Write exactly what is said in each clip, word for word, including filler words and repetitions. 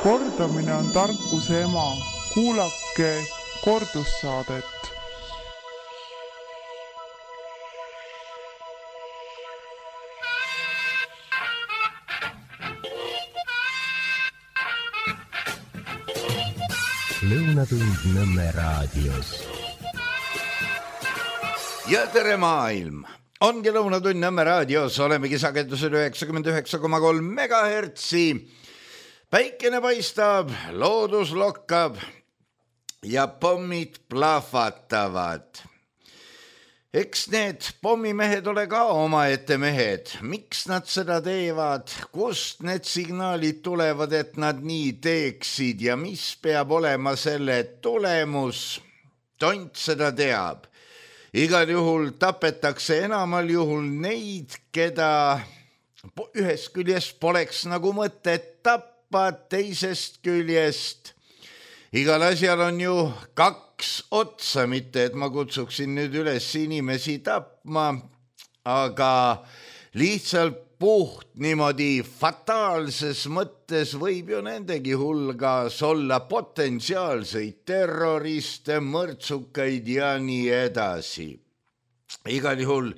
Kordamine on tarkuse ema. Kuulake kordussaadet. Lõunatund Nõmme raadios. Ja tere maailm! Ongi Lõunatund Nõmme raadios, olemegi sagedusel üheksakümmend üheksa koma kolm megahertsi. Päikene paistab, loodus lokkab ja pommid plahvatavad. Eks need pommimehed ole ka omaette mehed. Miks nad seda teevad? Kust need signaalid tulevad, et nad nii teeksid ja mis peab olema selle tulemus? Tont seda teab. Igal juhul tapetakse enamal juhul neid, keda ühest küljest poleks nagu mõtet tappa, teisest küljest. Igal asjal on ju kaks otsa, mitte et ma kutsuksin nüüd üles inimesi tapma, aga lihtsalt puht niimoodi fataalses mõttes võib ju nendegi hulgas olla potentsiaalseid terroriste, mõrtsukaid ja nii edasi. Igal juhul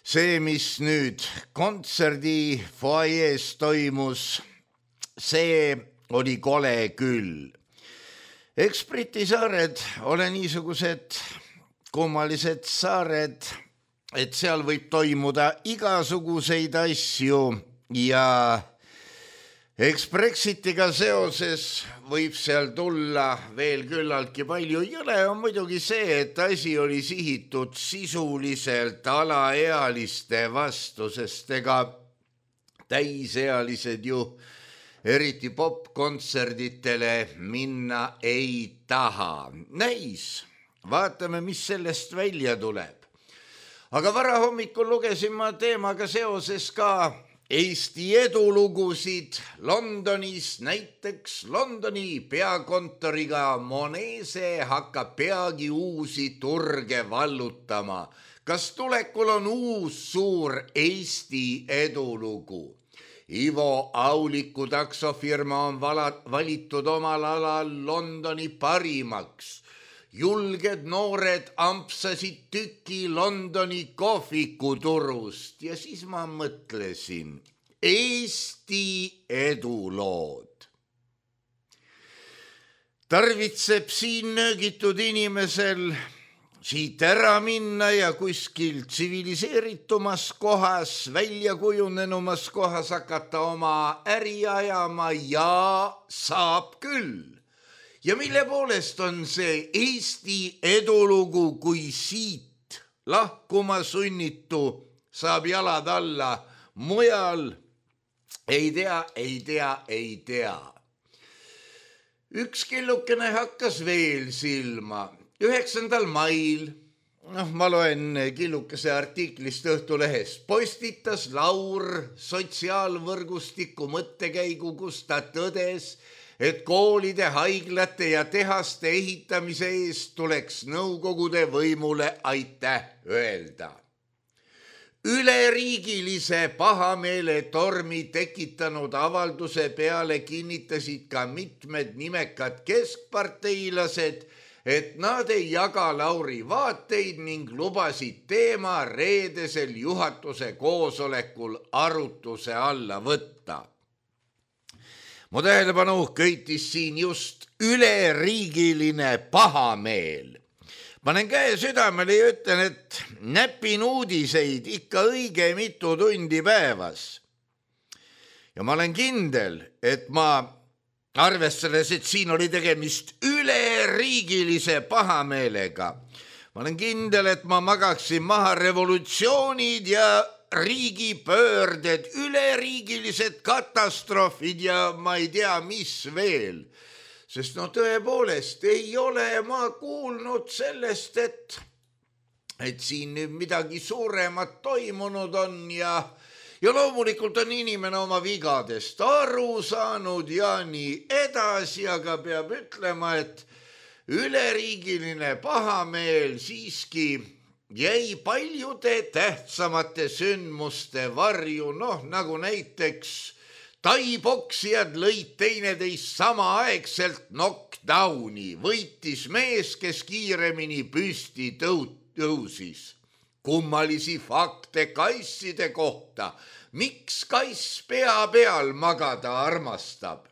see, mis nüüd kontserdi foajees toimus, see oli kole küll. Eks Briti saared ole niisugused kummalised saared, et seal võib toimuda igasuguseid asju ja eks Brexitiga seoses võib seal tulla veel küllaltki palju. Jõle on muidugi see, et asi oli sihitud sisuliselt alaealiste vastu, sest ega täisealised ju eriti popkontserditele minna ei taha. Näis, vaatame, mis sellest välja tuleb. Aga varahommikul lugesin ma teemaga seoses ka Eesti edulugusid Londonis. Näiteks Londoni peakontoriga Monese hakkab peagi uusi turge vallutama. Kas tulekul on uus suur Eesti edulugu? Ivo Auliku taksofirma on valitud omal alal Londoni parimaks. Julged noored ampsasid tüki Londoni kohvikuturust ja siis ma mõtlesin, Eesti edulood. Tarvitseb siin nöögitud inimesel siit ära minna ja kuskil tsiviliseeritumas kohas, välja kujunenumas kohas hakata oma äri ajama ja saab küll. Ja mille poolest on see Eesti edulugu, kui siit lahkuma sunnitu saab jalad alla, mujal ei tea, ei tea, ei tea. Üks killukene hakkas veel silma. üheksandal mail, noh, ma loen killukese artiklist Õhtulehes, postitas Laur sotsiaalvõrgustiku mõttekäigu, kus ta tõdes, et koolide, haiglate ja tehaste ehitamise eest tuleks nõukogude võimule aitäh öelda. Üleriigilise pahameele tormi tekitanud avalduse peale kinnitasid ka mitmed nimekad keskparteilased, et nad ei jaga Lauri vaateid ning lubasid teema reedesel juhatuse koosolekul arutuse alla võtta. Mu tähelepanu köitis siin just üleriigiline pahameel. Panen käe südamele ja ütlen, et näpin uudiseid ikka õige mitu tundi päevas. Ja ma olen kindel, et ma arvestades, et siin oli tegemist üleriigilise pahameelega. Ma olen kindel, et ma magaksin maha revolutsioonid ja riigipöörded, üleriigilised katastroofid ja ma ei tea, mis veel. Sest no tõepoolest ei ole ma kuulnud sellest, et, et siin nüüd midagi suuremat toimunud on ja Ja loomulikult on inimene oma vigadest aru saanud ja nii edasi, aga peab ütlema, et üleriigiline pahameel siiski jäi paljude tähtsamate sündmuste varju, noh nagu näiteks taiboksijad lõid teineteist samaaegselt knockdowni, võitis mees, kes kiiremini püsti tõusis. Kummalisi fakte kasside kohta, miks kass pea peal magada armastab.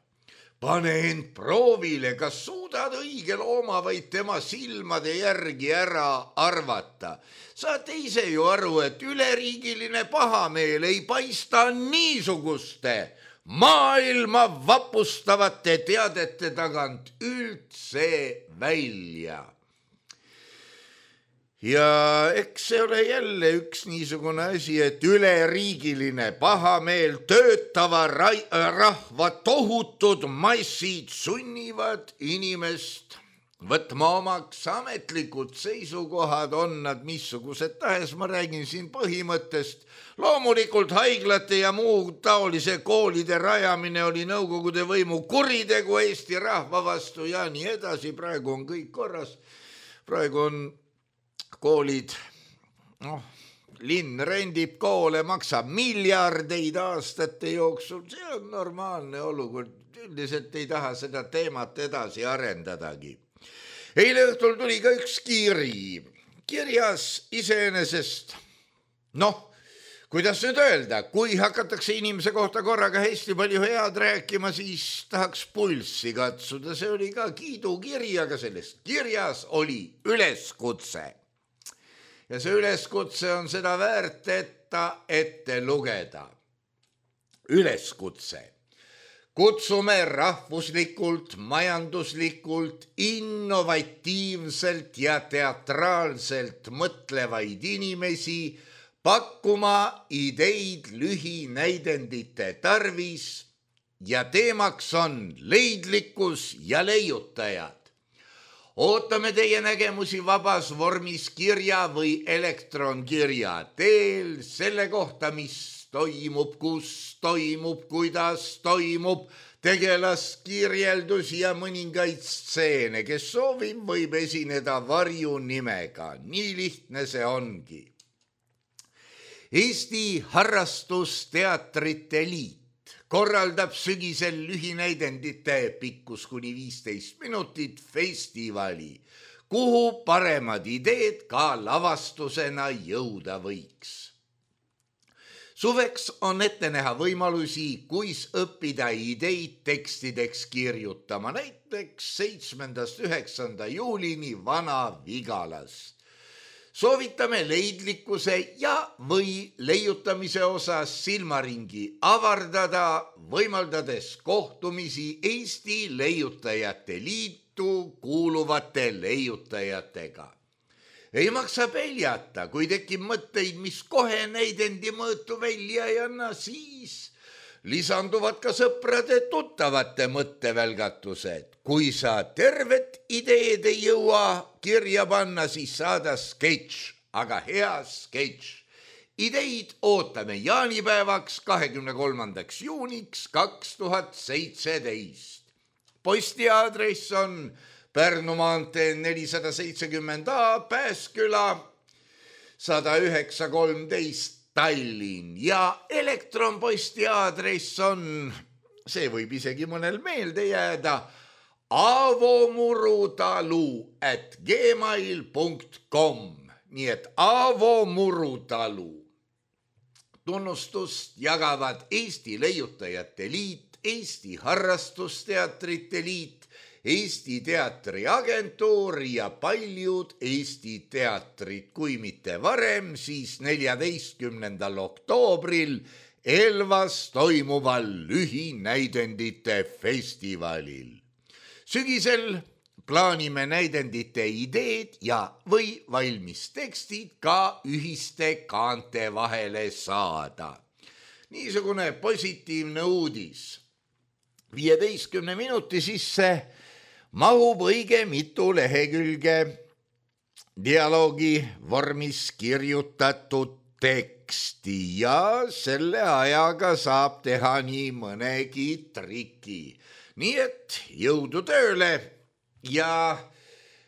Pane end proovile, kas suudad õige looma vaid tema silmade järgi ära arvata. Saate ise ju aru, et üleriigiline pahameel ei paista niisuguste maailma vapustavate teadete tagant üldse välja. Ja eks see ole jälle üks niisugune asi, et üleriigiline pahameel töötava rahva tohutud massid sunnivad inimest võtma omaks ametlikud seisukohad, on nad missugused tahes, ma räägin siin põhimõttest. Loomulikult haiglate ja muu taolise koolide rajamine oli nõukogude võimu kuritegu Eesti rahva vastu ja nii edasi. Praegu on kõik korras. Praegu on koolid, noh, linn rendib koole, maksab miljardeid aastate jooksul. See on normaalne olukord. Üldiselt ei taha seda teemat edasi arendadagi. Eile õhtul tuli ka üks kiri. Kirjas iseenesest, noh, kuidas nüüd öelda, kui hakatakse inimese kohta korraga hästi palju head rääkima, siis tahaks pulssi katsuda. See oli ka kiidukiri, aga sellest kirjas oli üleskutse. Ja see üleskutse on seda väärt, et ta ette lugeda. Üleskutse. Kutsume rahvuslikult, majanduslikult, innovatiivselt ja teatraalselt mõtlevaid inimesi pakkuma ideid lühinäidendite tarvis ja teemaks on leidlikkus ja leiutajad. Ootame teie nägemusi vabas vormis kirja või elektronkirja teel selle kohta, mis toimub, kus toimub, kuidas toimub, tegelaskirjeldus ja mõningaid stseene. Kes soovib, võib esineda varjunimega. Nii lihtne see ongi. Eesti Harrastusteatrite Liit korraldab sügisel lühinäidendite pikkus kuni viisteist minutit festivali, kuhu paremad ideed ka lavastusena jõuda võiks. Suveks on ette näha võimalusi, kuis õppida ideid tekstideks kirjutama, näiteks seitsmendast üheksanda juulini Vana-Vigalas. Soovitame leidlikkuse ja või leiutamise osas silmaringi avardada, võimaldades kohtumisi Eesti Leiutajate Liitu kuuluvate leiutajatega. Ei maksa peljata, kui tekib mõtteid, mis kohe näidendi mõõtu välja ei anna, siis lisanduvad ka sõprade tuttavate mõttevälgatused. Kui sa tervet ideed ei jõua kirja panna, siis saada sketš, aga hea sketš. Ideid ootame jaanipäevaks kahekümne kolmandaks juuniks kaks tuhat seitseteist. Posti aadress on Pärnu maantee nelisada seitsekümmend A, Pääsküla sada üheksa kolmteist Tallinn ja elektronposti aadress on, see võib isegi mõnel meelde jääda, avomurutalu at gmail punkt com, nii et avomurutalu. Tunnustust jagavad Eesti Leiutajate Liit, Eesti Harrastusteatrite Liit, Eesti Teatriagentuur ja paljud Eesti teatrid, kui mitte varem, siis neljateistkümnendal oktoobril Elvas toimuval lühinäidendite festivalil. Sügisel plaanime näidendite ideed ja või valmis tekstid ka ühiste kaante vahele saada. Niisugune positiivne uudis. viieteistkümne minuti sisse mahub õige mitu lehekülge dialoogi vormis kirjutatud teksti ja selle ajaga saab teha nii mõnegi triki. Nii et jõudu tööle ja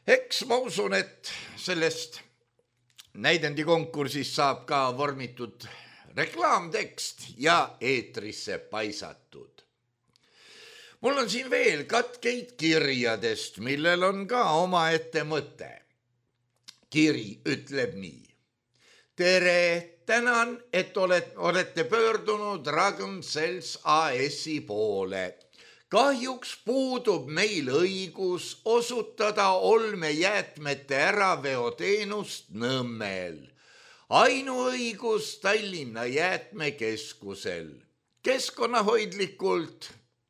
eks ma usun, et sellest näidendi konkursist saab ka vormitud reklaamtekst ja eetrisse paisatud. Mul on siin veel katkeid kirjadest, millel on ka omaette mõte. Kiri ütleb nii. Tere, tänan, et olete pöördunud Ragn-Sells A S-i poole. Kahjuks puudub meil õigus osutada olmejäätmete äraveoteenust Nõmmel. Ainuõigus Tallinna jäätmekeskusel. Keskkonnahoidlikult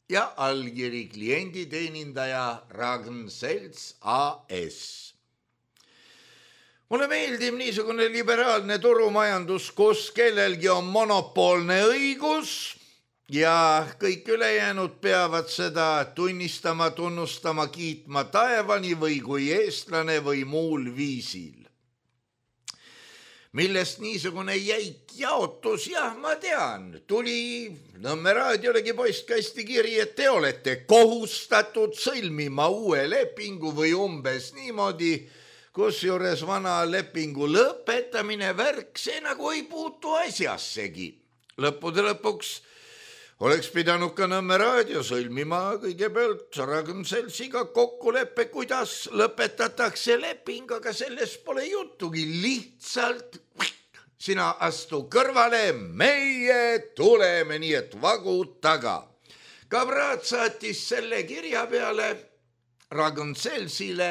ja allkiri klienditeenindaja Ragn-Sells A S. Mulle meeldib niisugune liberaalne turumajandus, kus kellelgi on monopoolne õigus ja kõik ülejäänud peavad seda tunnistama, tunnustama, kiitma taevani või kui eestlane või muul viisil. Millest niisugune jäik jaotus, jah, ma tean, tuli Nõmme raadiolegi postkasti kiri, et te olete kohustatud sõlmima uue lepingu või umbes niimoodi, kusjuures vana lepingu lõpetamine värk, see nagu ei puutu asjassegi. Lõppude lõpuks oleks pidanud ka Nõmme raadio sõlmima kõigepealt Ragn-Sellsiga kokkuleppe, kuidas lõpetatakse leping, aga sellest pole jutugi, lihtsalt sina astu kõrvale, meie tuleme, nii et vagu taga. Kabraat saatis selle kirja peale Ragn-Sellsile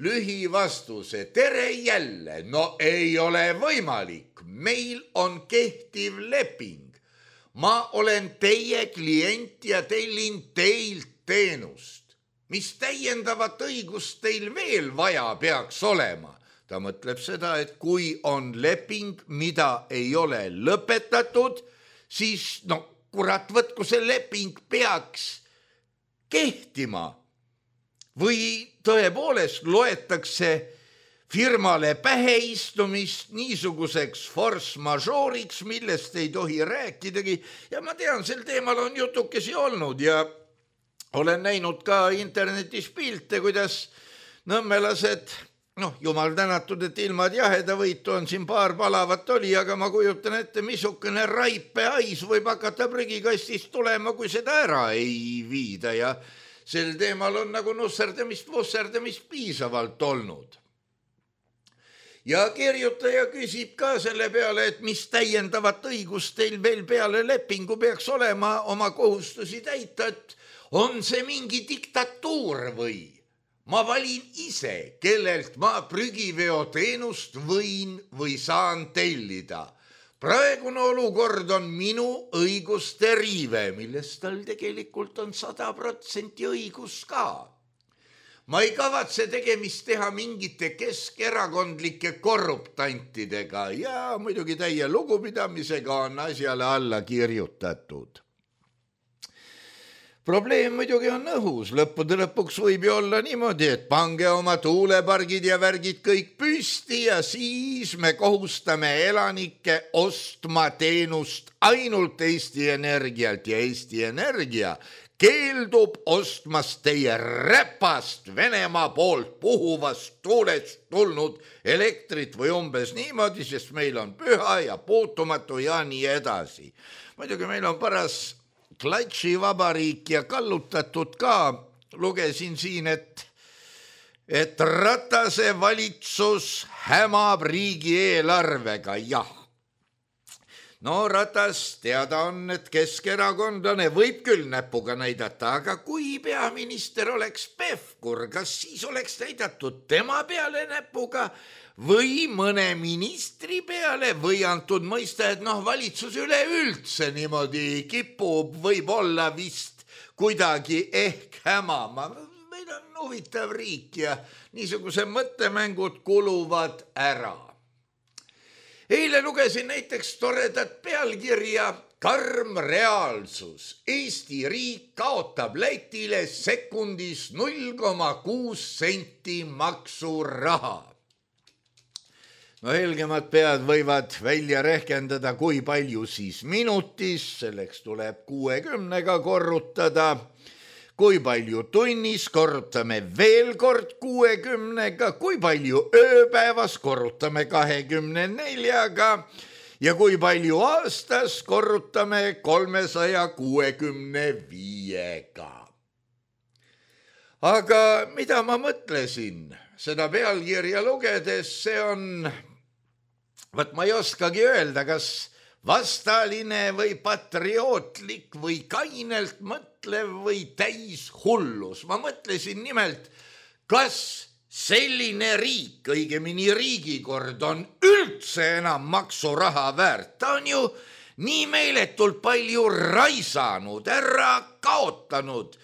lühivastuse, tere jälle, no ei ole võimalik, meil on kehtiv leping. Ma olen teie klient ja tellin teilt teenust. Mis täiendavat õigust teil veel vaja peaks olema? Ta mõtleb seda, et kui on leping, mida ei ole lõpetatud, siis no kurat, võtku see leping peaks kehtima. Või tõepoolest loetakse firmale päheistumist niisuguseks force majoriks, millest ei tohi rääkidagi. Ja ma tean, sel teemal on jutukesi olnud ja olen näinud ka internetis pilte, kuidas nõmmelased, noh, jumal tänatud, et ilmad jaheda võitu on siin paar palavat oli, aga ma kujutan ette, missugune raipe hais võib hakata prügikastist tulema, kui seda ära ei viida ja sel teemal on nagu nusserdamist, vusserdamist piisavalt olnud. Ja kirjutaja küsib ka selle peale, et mis täiendavat õigust teil veel peale lepingu peaks olema oma kohustusi täita, et on see mingi diktatuur või? Ma valin ise, kellelt ma prügiveoteenust võin või saan tellida. Praegune olukord on minu õiguste riive, millest tal tegelikult on sada protsenti õigus ka. Ma ei kavatse tegemist teha mingite keskerakondlike korruptantidega ja muidugi täie lugupidamisega on asjale alla kirjutatud. Probleem muidugi on õhus, lõppude lõpuks võib ju olla niimoodi, et pange oma tuulepargid ja värgid kõik püsti ja siis me kohustame elanikke ostma teenust ainult Eesti Energialt ja Eesti Energia keeldub ostmast teie räpast Venemaa poolt puhuvast tuulest tulnud elektrit või umbes niimoodi, sest meil on püha ja puutumatu ja nii edasi. Muidugi meil on paras klatšivabariik ja kallutatud ka. Lugesin siin, et, et Ratase valitsus hämab riigieelarvega, jah. No Ratas teada on, et keskerakondlane võib küll näpuga näidata, aga kui peaminister oleks Pevkur, kas siis oleks näidatud tema peale näpuga või mõne ministri peale või antud mõista, et noh, valitsus üleüldse niimoodi kipub võib-olla vist kuidagi ehk hämama. Meil on huvitav riik ja niisuguse mõttemängud kuluvad ära. Eile lugesin näiteks toredat pealkirja Karm reaalsus. Eesti riik kaotab Lätile sekundis null koma kuus senti maksuraha. No helgemad pead võivad välja rehkendada, kui palju siis minutis, selleks tuleb kuuekümnega korrutada. Kui palju tunnis, korrutame veel kord kuuekümnega, kui palju ööpäevas, korrutame kahekümne neljaga ja kui palju aastas, korrutame kolmesaja kuuekümne viiega. Aga mida ma mõtlesin seda pealkirja lugedes, see on, võt ma ei oskagi öelda, kas vastaline või patriootlik või kainelt mõtlev või täis hullus. Ma mõtlesin nimelt, kas selline riik, õigemini riigikord on üldse enam maksuraha väärt. Ta on ju nii meeletult palju raisanud, ära kaotanud.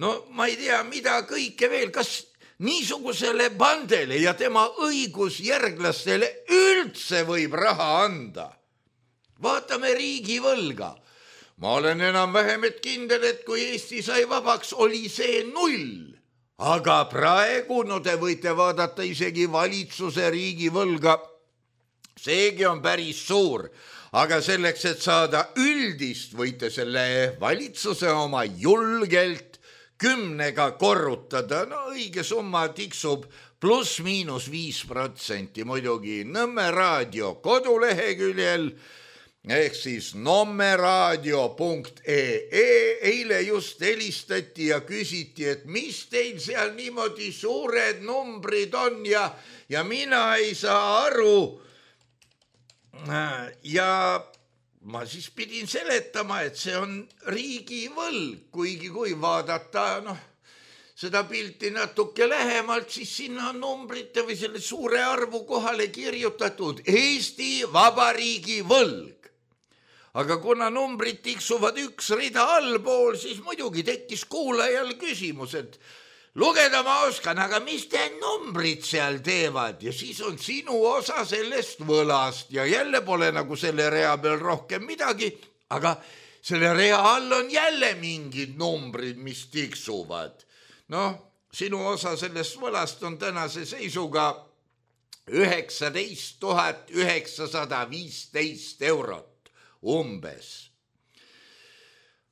No ma ei tea, mida kõike veel, kas niisugusele bandele ja tema õigusjärglastele üldse võib raha anda. Vaatame riigivõlga. Ma olen enam-vähem et kindel, et kui Eesti sai vabaks, oli see null. Aga praegu, no te võite vaadata isegi valitsuse riigivõlga. Seegi on päris suur. Aga selleks, et saada üldist, võite selle valitsuse oma julgelt kümnega korrutada. No õige summa tiksub pluss miinus viis protsenti muidugi Nõmme raadio koduleheküljel ehk siis nommeraadio punkt ee. Eile just helistati ja küsiti, et mis teil seal niimoodi suured numbrid on ja, ja mina ei saa aru. Ja ma siis pidin seletama, et see on riigivõlg, kuigi kui vaadata noh, seda pilti natuke lähemalt, siis sinna on numbrite või selle suure arvu kohale kirjutatud Eesti Vabariigi võlg. Aga kuna numbrid tiksuvad üks rida allpool, siis muidugi tekkis kuulajal küsimus, et lugeda ma oskan, aga mis te numbrid seal teevad? Ja siis on sinu osa sellest võlast ja jälle pole nagu selle rea peal rohkem midagi, aga selle rea all on jälle mingid numbrid, mis tiksuvad. Noh, sinu osa sellest võlast on tänase seisuga üheksateist tuhat üheksasada viisteist eurot. Umbes.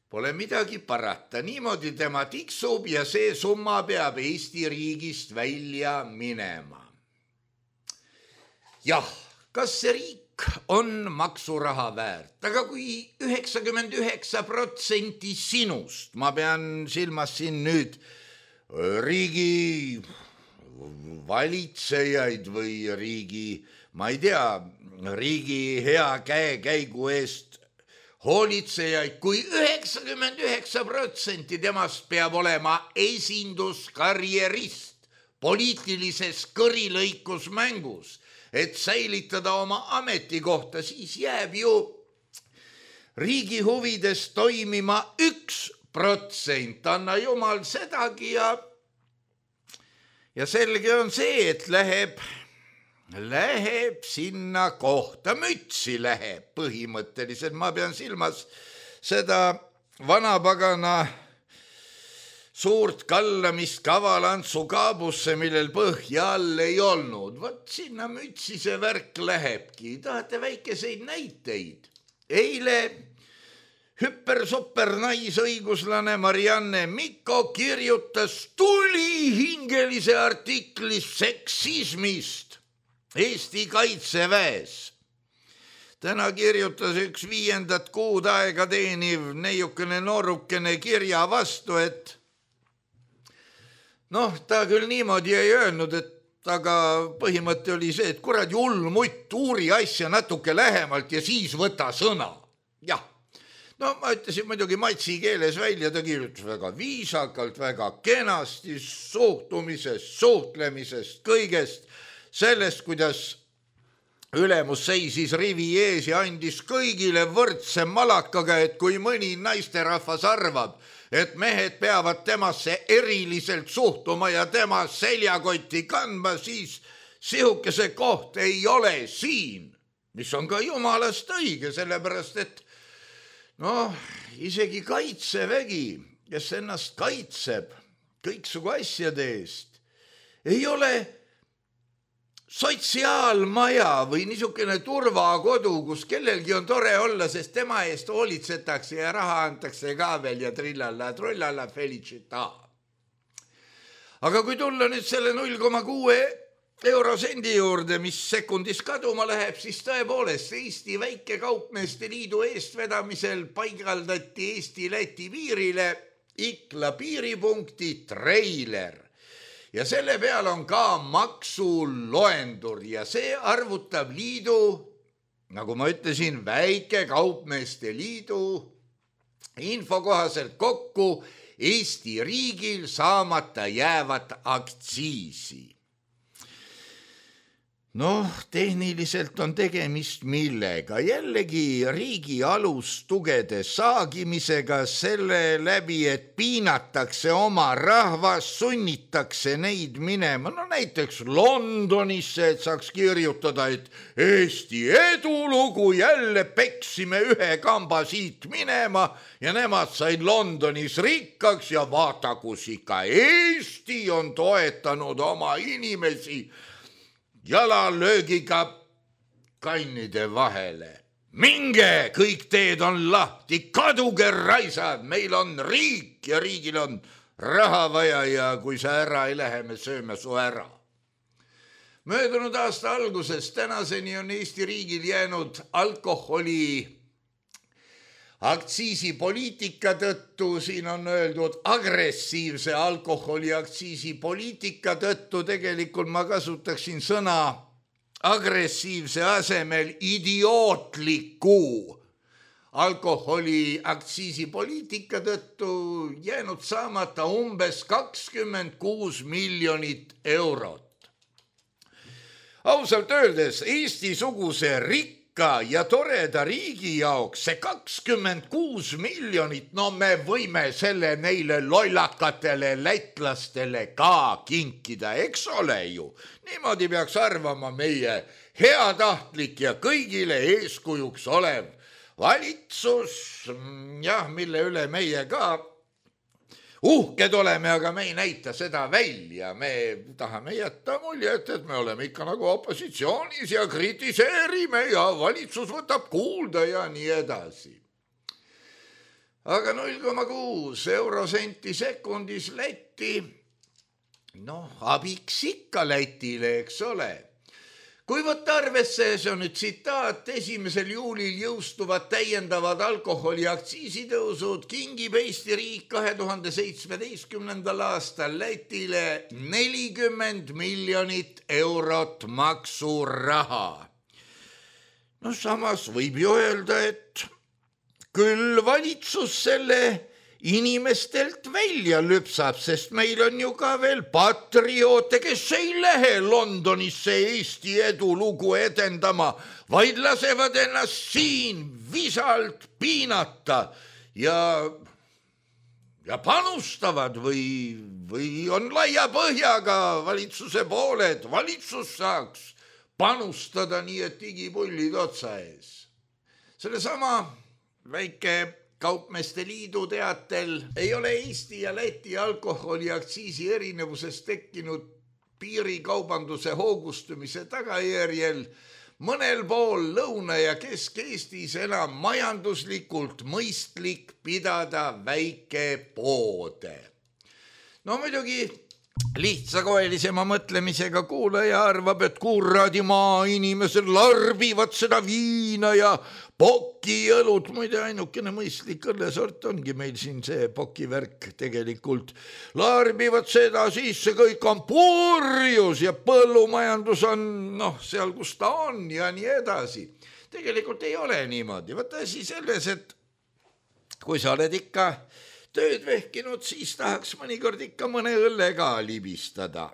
Pole midagi parata, niimoodi tema tiksub ja see summa peab Eesti riigist välja minema. Jah, kas see riik on maksuraha väärt, aga kui üheksakümmend üheksa protsenti sinust, ma pean silmas siin nüüd riigi valitsejaid või riigi, ma ei tea, riigi hea käekäigu eest hoolitsejaid, kui üheksakümmend üheksa protsenti temast peab olema esinduskarjerist poliitilises kõrilõikusmängus, et säilitada oma ametikohta, siis jääb ju riigi huvides toimima üks protsent, anna jumal sedagi ja, ja selge on see, et läheb Läheb sinna kohta, mütsi läheb põhimõtteliselt, ma pean silmas seda vanapagana suurt kallamist kavalantsu kaabusse, millel põhja all ei olnud. Vot sinna mütsi see värk lähebki, tahate väikeseid näiteid. Eile hüper-super naisõiguslane Marianne Mikko kirjutas tulihingelise artikli seksismist Eesti kaitseväes. Täna kirjutas üks viiendat kuud aega teeniv neiukene noorukene kirja vastu, et noh, ta küll niimoodi ei öelnud, et aga põhimõte oli see, et kuradi hull mutt, uuri asja natuke lähemalt ja siis võta sõna. Jah, no ma ütlesin muidugi matsi keeles välja, ta kirjutas väga viisakalt, väga kenasti suhtumisest, suhtlemisest, kõigest, sellest, kuidas ülemus seisis rivi ees ja andis kõigile võrdse malakaga, et kui mõni naisterahvas arvab, et mehed peavad temasse eriliselt suhtuma ja tema seljakotti kandma, siis sihukese koht ei ole siin, mis on ka jumalast õige, sellepärast et noh, isegi kaitsevägi, kes ennast kaitseb kõiksugu asjade eest, ei ole sotsiaalmaja või niisugune turvakodu, kus kellelgi on tore olla, sest tema eest hoolitsetakse ja raha antakse ka veel ja trillalla, trullalla, felicita. Aga kui tulla nüüd selle null koma kuue eurosendi juurde, mis sekundis kaduma läheb, siis tõepoolest Eesti Väikekaupmeeste Liidu eestvedamisel paigaldati Eesti-Läti piirile Ikla piiripunkti treiler ja selle peal on ka maksuloendur ja see arvutab liidu, nagu ma ütlesin, Väikekaupmeeste Liidu info kohaselt kokku Eesti riigil saamata jäävat aktsiisi. Noh, tehniliselt on tegemist millega, jällegi riigi alustugede saagimisega selle läbi, et piinatakse oma rahvas, sunnitakse neid minema, no näiteks Londonisse, et saaks kirjutada, et Eesti edulugu jälle peksime ühe kamba siit minema ja nemad said Londonis rikkaks ja vaata, kus ikka Eesti on toetanud oma inimesi jalalöögiga kannide vahele. Minge, kõik teed on lahti, kaduge raisad, meil on riik ja riigil on raha vaja ja kui sa ära ei lähe, me sööme su ära. Möödunud aasta alguses tänaseni on Eesti riigil jäänud alkoholi aktsiisipoliitika tõttu, siin on öeldud agressiivse alkoholi aktsiisipoliitika tõttu, tegelikult ma kasutaksin sõna agressiivse asemel idiootliku alkoholi aktsiisipoliitika tõttu jäänud saamata umbes kakskümmend kuus miljonit eurot. Ausalt öeldes Eesti-suguse rikka ja toreda riigi jaoks see kakskümmend kuus miljonit, no me võime selle neile lollakatele lätlastele ka kinkida, eks ole ju. Niimoodi peaks arvama meie heatahtlik ja kõigile eeskujuks olev valitsus, jah, mille üle meie ka uhked oleme, aga me ei näita seda välja. Me tahame jätta muljet, et me oleme ikka nagu opositsioonis ja kritiseerime ja valitsus võtab kuulda ja nii edasi. Aga null koma kuus eurosenti sekundis Läti, noh, abiks ikka Lätile, eks ole. Kui võtta arvesse, see on nüüd tsitaat, esimesel juulil jõustuvad täiendavad alkoholi aktsiisitõusud, kingib Eesti riik kahe tuhande seitsmeteistkümnendal aastal Lätile nelikümmend miljonit eurot maksuraha. No samas võib ju öelda, et küll valitsus selle inimestelt välja lüpsab, sest meil on ju ka veel patrioote, kes ei lähe Londonisse Eesti edulugu edendama, vaid lasevad ennast siin visalt piinata ja, ja panustavad või, või on laia põhjaga valitsuse poole, et valitsus saaks panustada nii, et digipullid otsa ees. Sellesama väike Kaupmeeste Liidu teatel ei ole Eesti ja Läti alkoholi aktsiisi erinevusest tekkinud piirikaubanduse hoogustumise tagajärjel mõnel pool Lõuna- ja Kesk-Eestis enam majanduslikult mõistlik pidada väikepoode. No muidugi lihtsakoelisema mõtlemisega kuulaja arvab, et kuradi maa inimesed larbivad seda viina ja pokiõlut, muide ainukene mõistlik õllesort ongi meil siin see pokivärk tegelikult. Larbivad seda, siis see kõik on purjus ja põllumajandus on noh, seal kus ta on ja nii edasi. Tegelikult ei ole niimoodi. Võta asi selles, et kui sa oled ikka tööd vehkinud, siis tahaks mõnikord ikka mõne õlle ka libistada.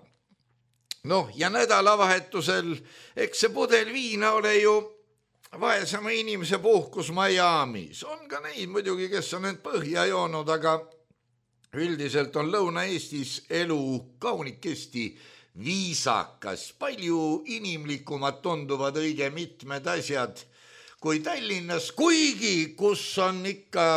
Noh, ja nädalavahetusel, eks see pudel viina ole ju vaesama inimese puhkus Miami's. On ka neid muidugi, kes on end põhja joonud, aga üldiselt on Lõuna-Eestis elu kaunikesti viisakas. Palju inimlikumad tunduvad õige mitmed asjad kui Tallinnas, kuigi kus on ikka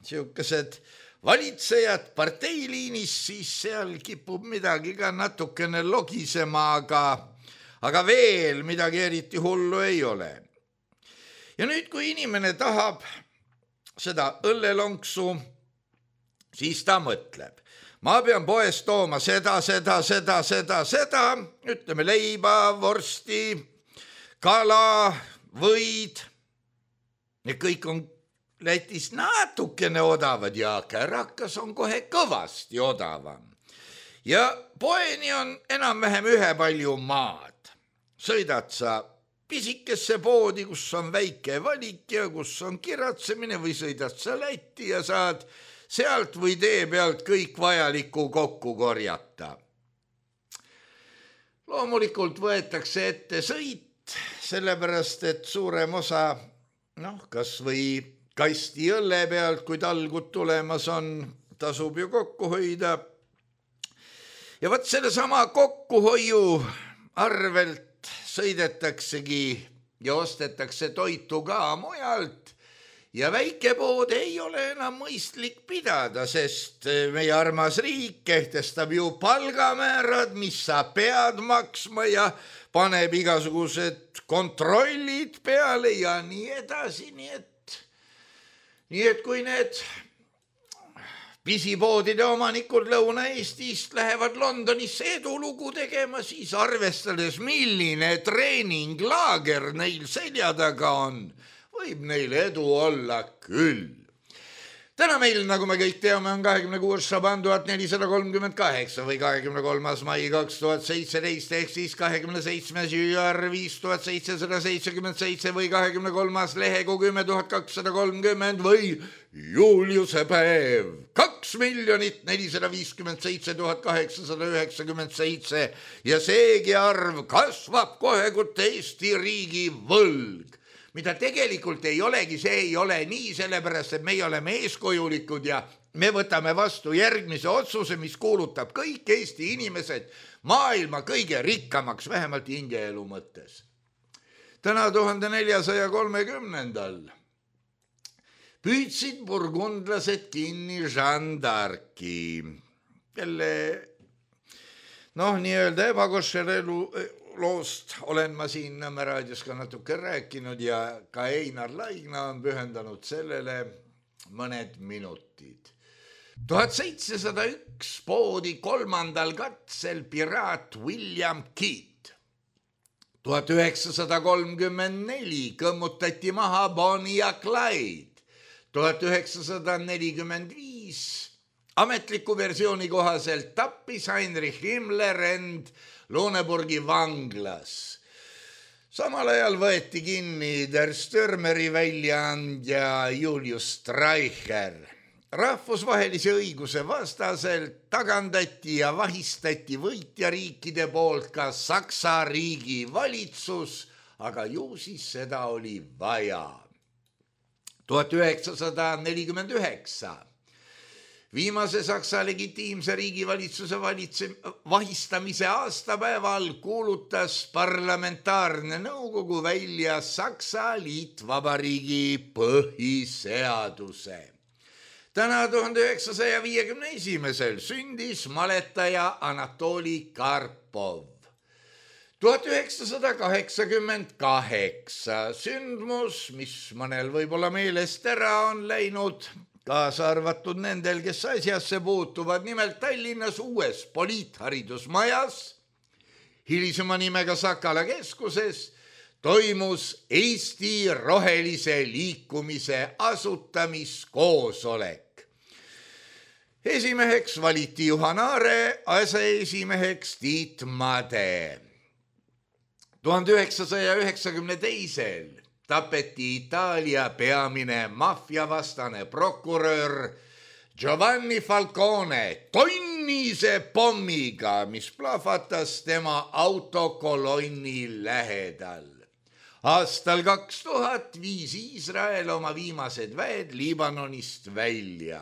siukesed valitsejad parteiliinis, siis seal kipub midagi ka natukene logisema, aga, aga veel midagi eriti hullu ei ole. Ja nüüd, kui inimene tahab seda õllelonksu, siis ta mõtleb. ma pean poest tooma seda, seda, seda, seda, seda, ütleme leiba, vorsti, kala, võid. Ja kõik on Lätis natukene odavad ja kärakas on kohe kõvasti odavam. Ja poeni on enam-vähem ühe palju maad. Sõidad sa pisikesse poodi, kus on väike valik ja kus on kiratsemine või sõidad sa Lätti ja saad sealt või tee pealt kõik vajaliku kokku korjata. Loomulikult võetakse ette sõit, sellepärast et suurem osa, noh, kas või kasti õlle pealt, kui talgud tulemas on, tasub ju kokku hoida. Ja võt selle sama kokkuhoiu arvelt sõidetaksegi ja ostetakse toitu ka mujalt ja väikepood ei ole enam mõistlik pidada, sest meie armas riik kehtestab ju palgamäärad, mis sa pead maksma ja paneb igasugused kontrollid peale ja nii edasi, nii et Nii et kui need pisipoodide omanikud Lõuna-Eestist lähevad Londonisse edulugu tegema, siis arvestades, milline treeninglaager neil selja taga on, võib neil edu olla küll. Täna meil, nagu me kõik teame, on kahekümne kuues Šaban tuhat nelisada kolmkümmend kaheksa või kahekümne kolmas mai kaks tuhat seitseteist ehk siis kahekümne seitsmes jüar viis tuhat seitsesada seitsekümmend seitse või kahekümne kolmas lehekuu kümme tuhat kakssada kolmkümmend või Juliuse päev kaks miljonit nelisada viiskümmend seitse tuhat kaheksasada üheksakümmend seitse ja seegi arv kasvab kohe, kui Eesti riigi võlg. Mida tegelikult ei olegi, see ei ole nii, sellepärast, et meie oleme eeskujulikud ja me võtame vastu järgmise otsuse, mis kuulutab kõik Eesti inimesed maailma kõige rikkamaks, vähemalt hingeelu mõttes. Täna tuhande neljasaja kolmekümnendal püüdsid burgundlased kinni Jeanne d'Arci, kelle noh, nii-öelda ebakoššer elu loost olen ma siin Nõmme raadios ka natuke rääkinud ja ka Einar Laigna on pühendanud sellele mõned minutid. tuhat seitsesada üks poodi kolmandal katsel piraat William Kidd. tuhat üheksasada kolmkümmend neli kõmmutati maha Bonnie ja Clyde. tuhat üheksasada nelikümmend viis ametliku versiooni kohaselt tappis Heinrich Himmler end Looneburgi vanglas. Samal ajal võeti kinni Der Stürmeri väljaandja Julius Streicher. Rahvusvahelise õiguse vastaselt tagandati ja vahistati võitjariikide poolt ka Saksa riigi valitsus, aga ju siis seda oli vaja. tuhat üheksasada nelikümmend üheksa Viimase Saksa legitiimse riigivalitsuse valitse, vahistamise aastapäeval kuulutas parlamentaarne nõukogu välja Saksa Liitvabariigi põhiseaduse. Täna tuhande üheksasaja viiekümne esimesel sündis maletaja Anatoli Karpov. tuhat üheksasada kaheksakümmend kaheksa sündmus, mis mõnel võib-olla meelest ära on läinud, kaasa arvatud nendel, kes asjasse puutuvad, nimelt Tallinnas uues poliitharidusmajas, hilisema nimega Sakala keskuses, toimus Eesti rohelise liikumise asutamiskoosolek. Esimeheks valiti Juhan Aare, aseesimeheks Tiit Made. tuhande üheksasaja üheksakümne teisel tapeti Itaalia peamine maffiavastane prokurör Giovanni Falcone tonnise pommiga, mis plahvatas tema autokolonni lähedal. Aastal kaks tuhat viis Iisrael oma viimased väed Liibanonist välja.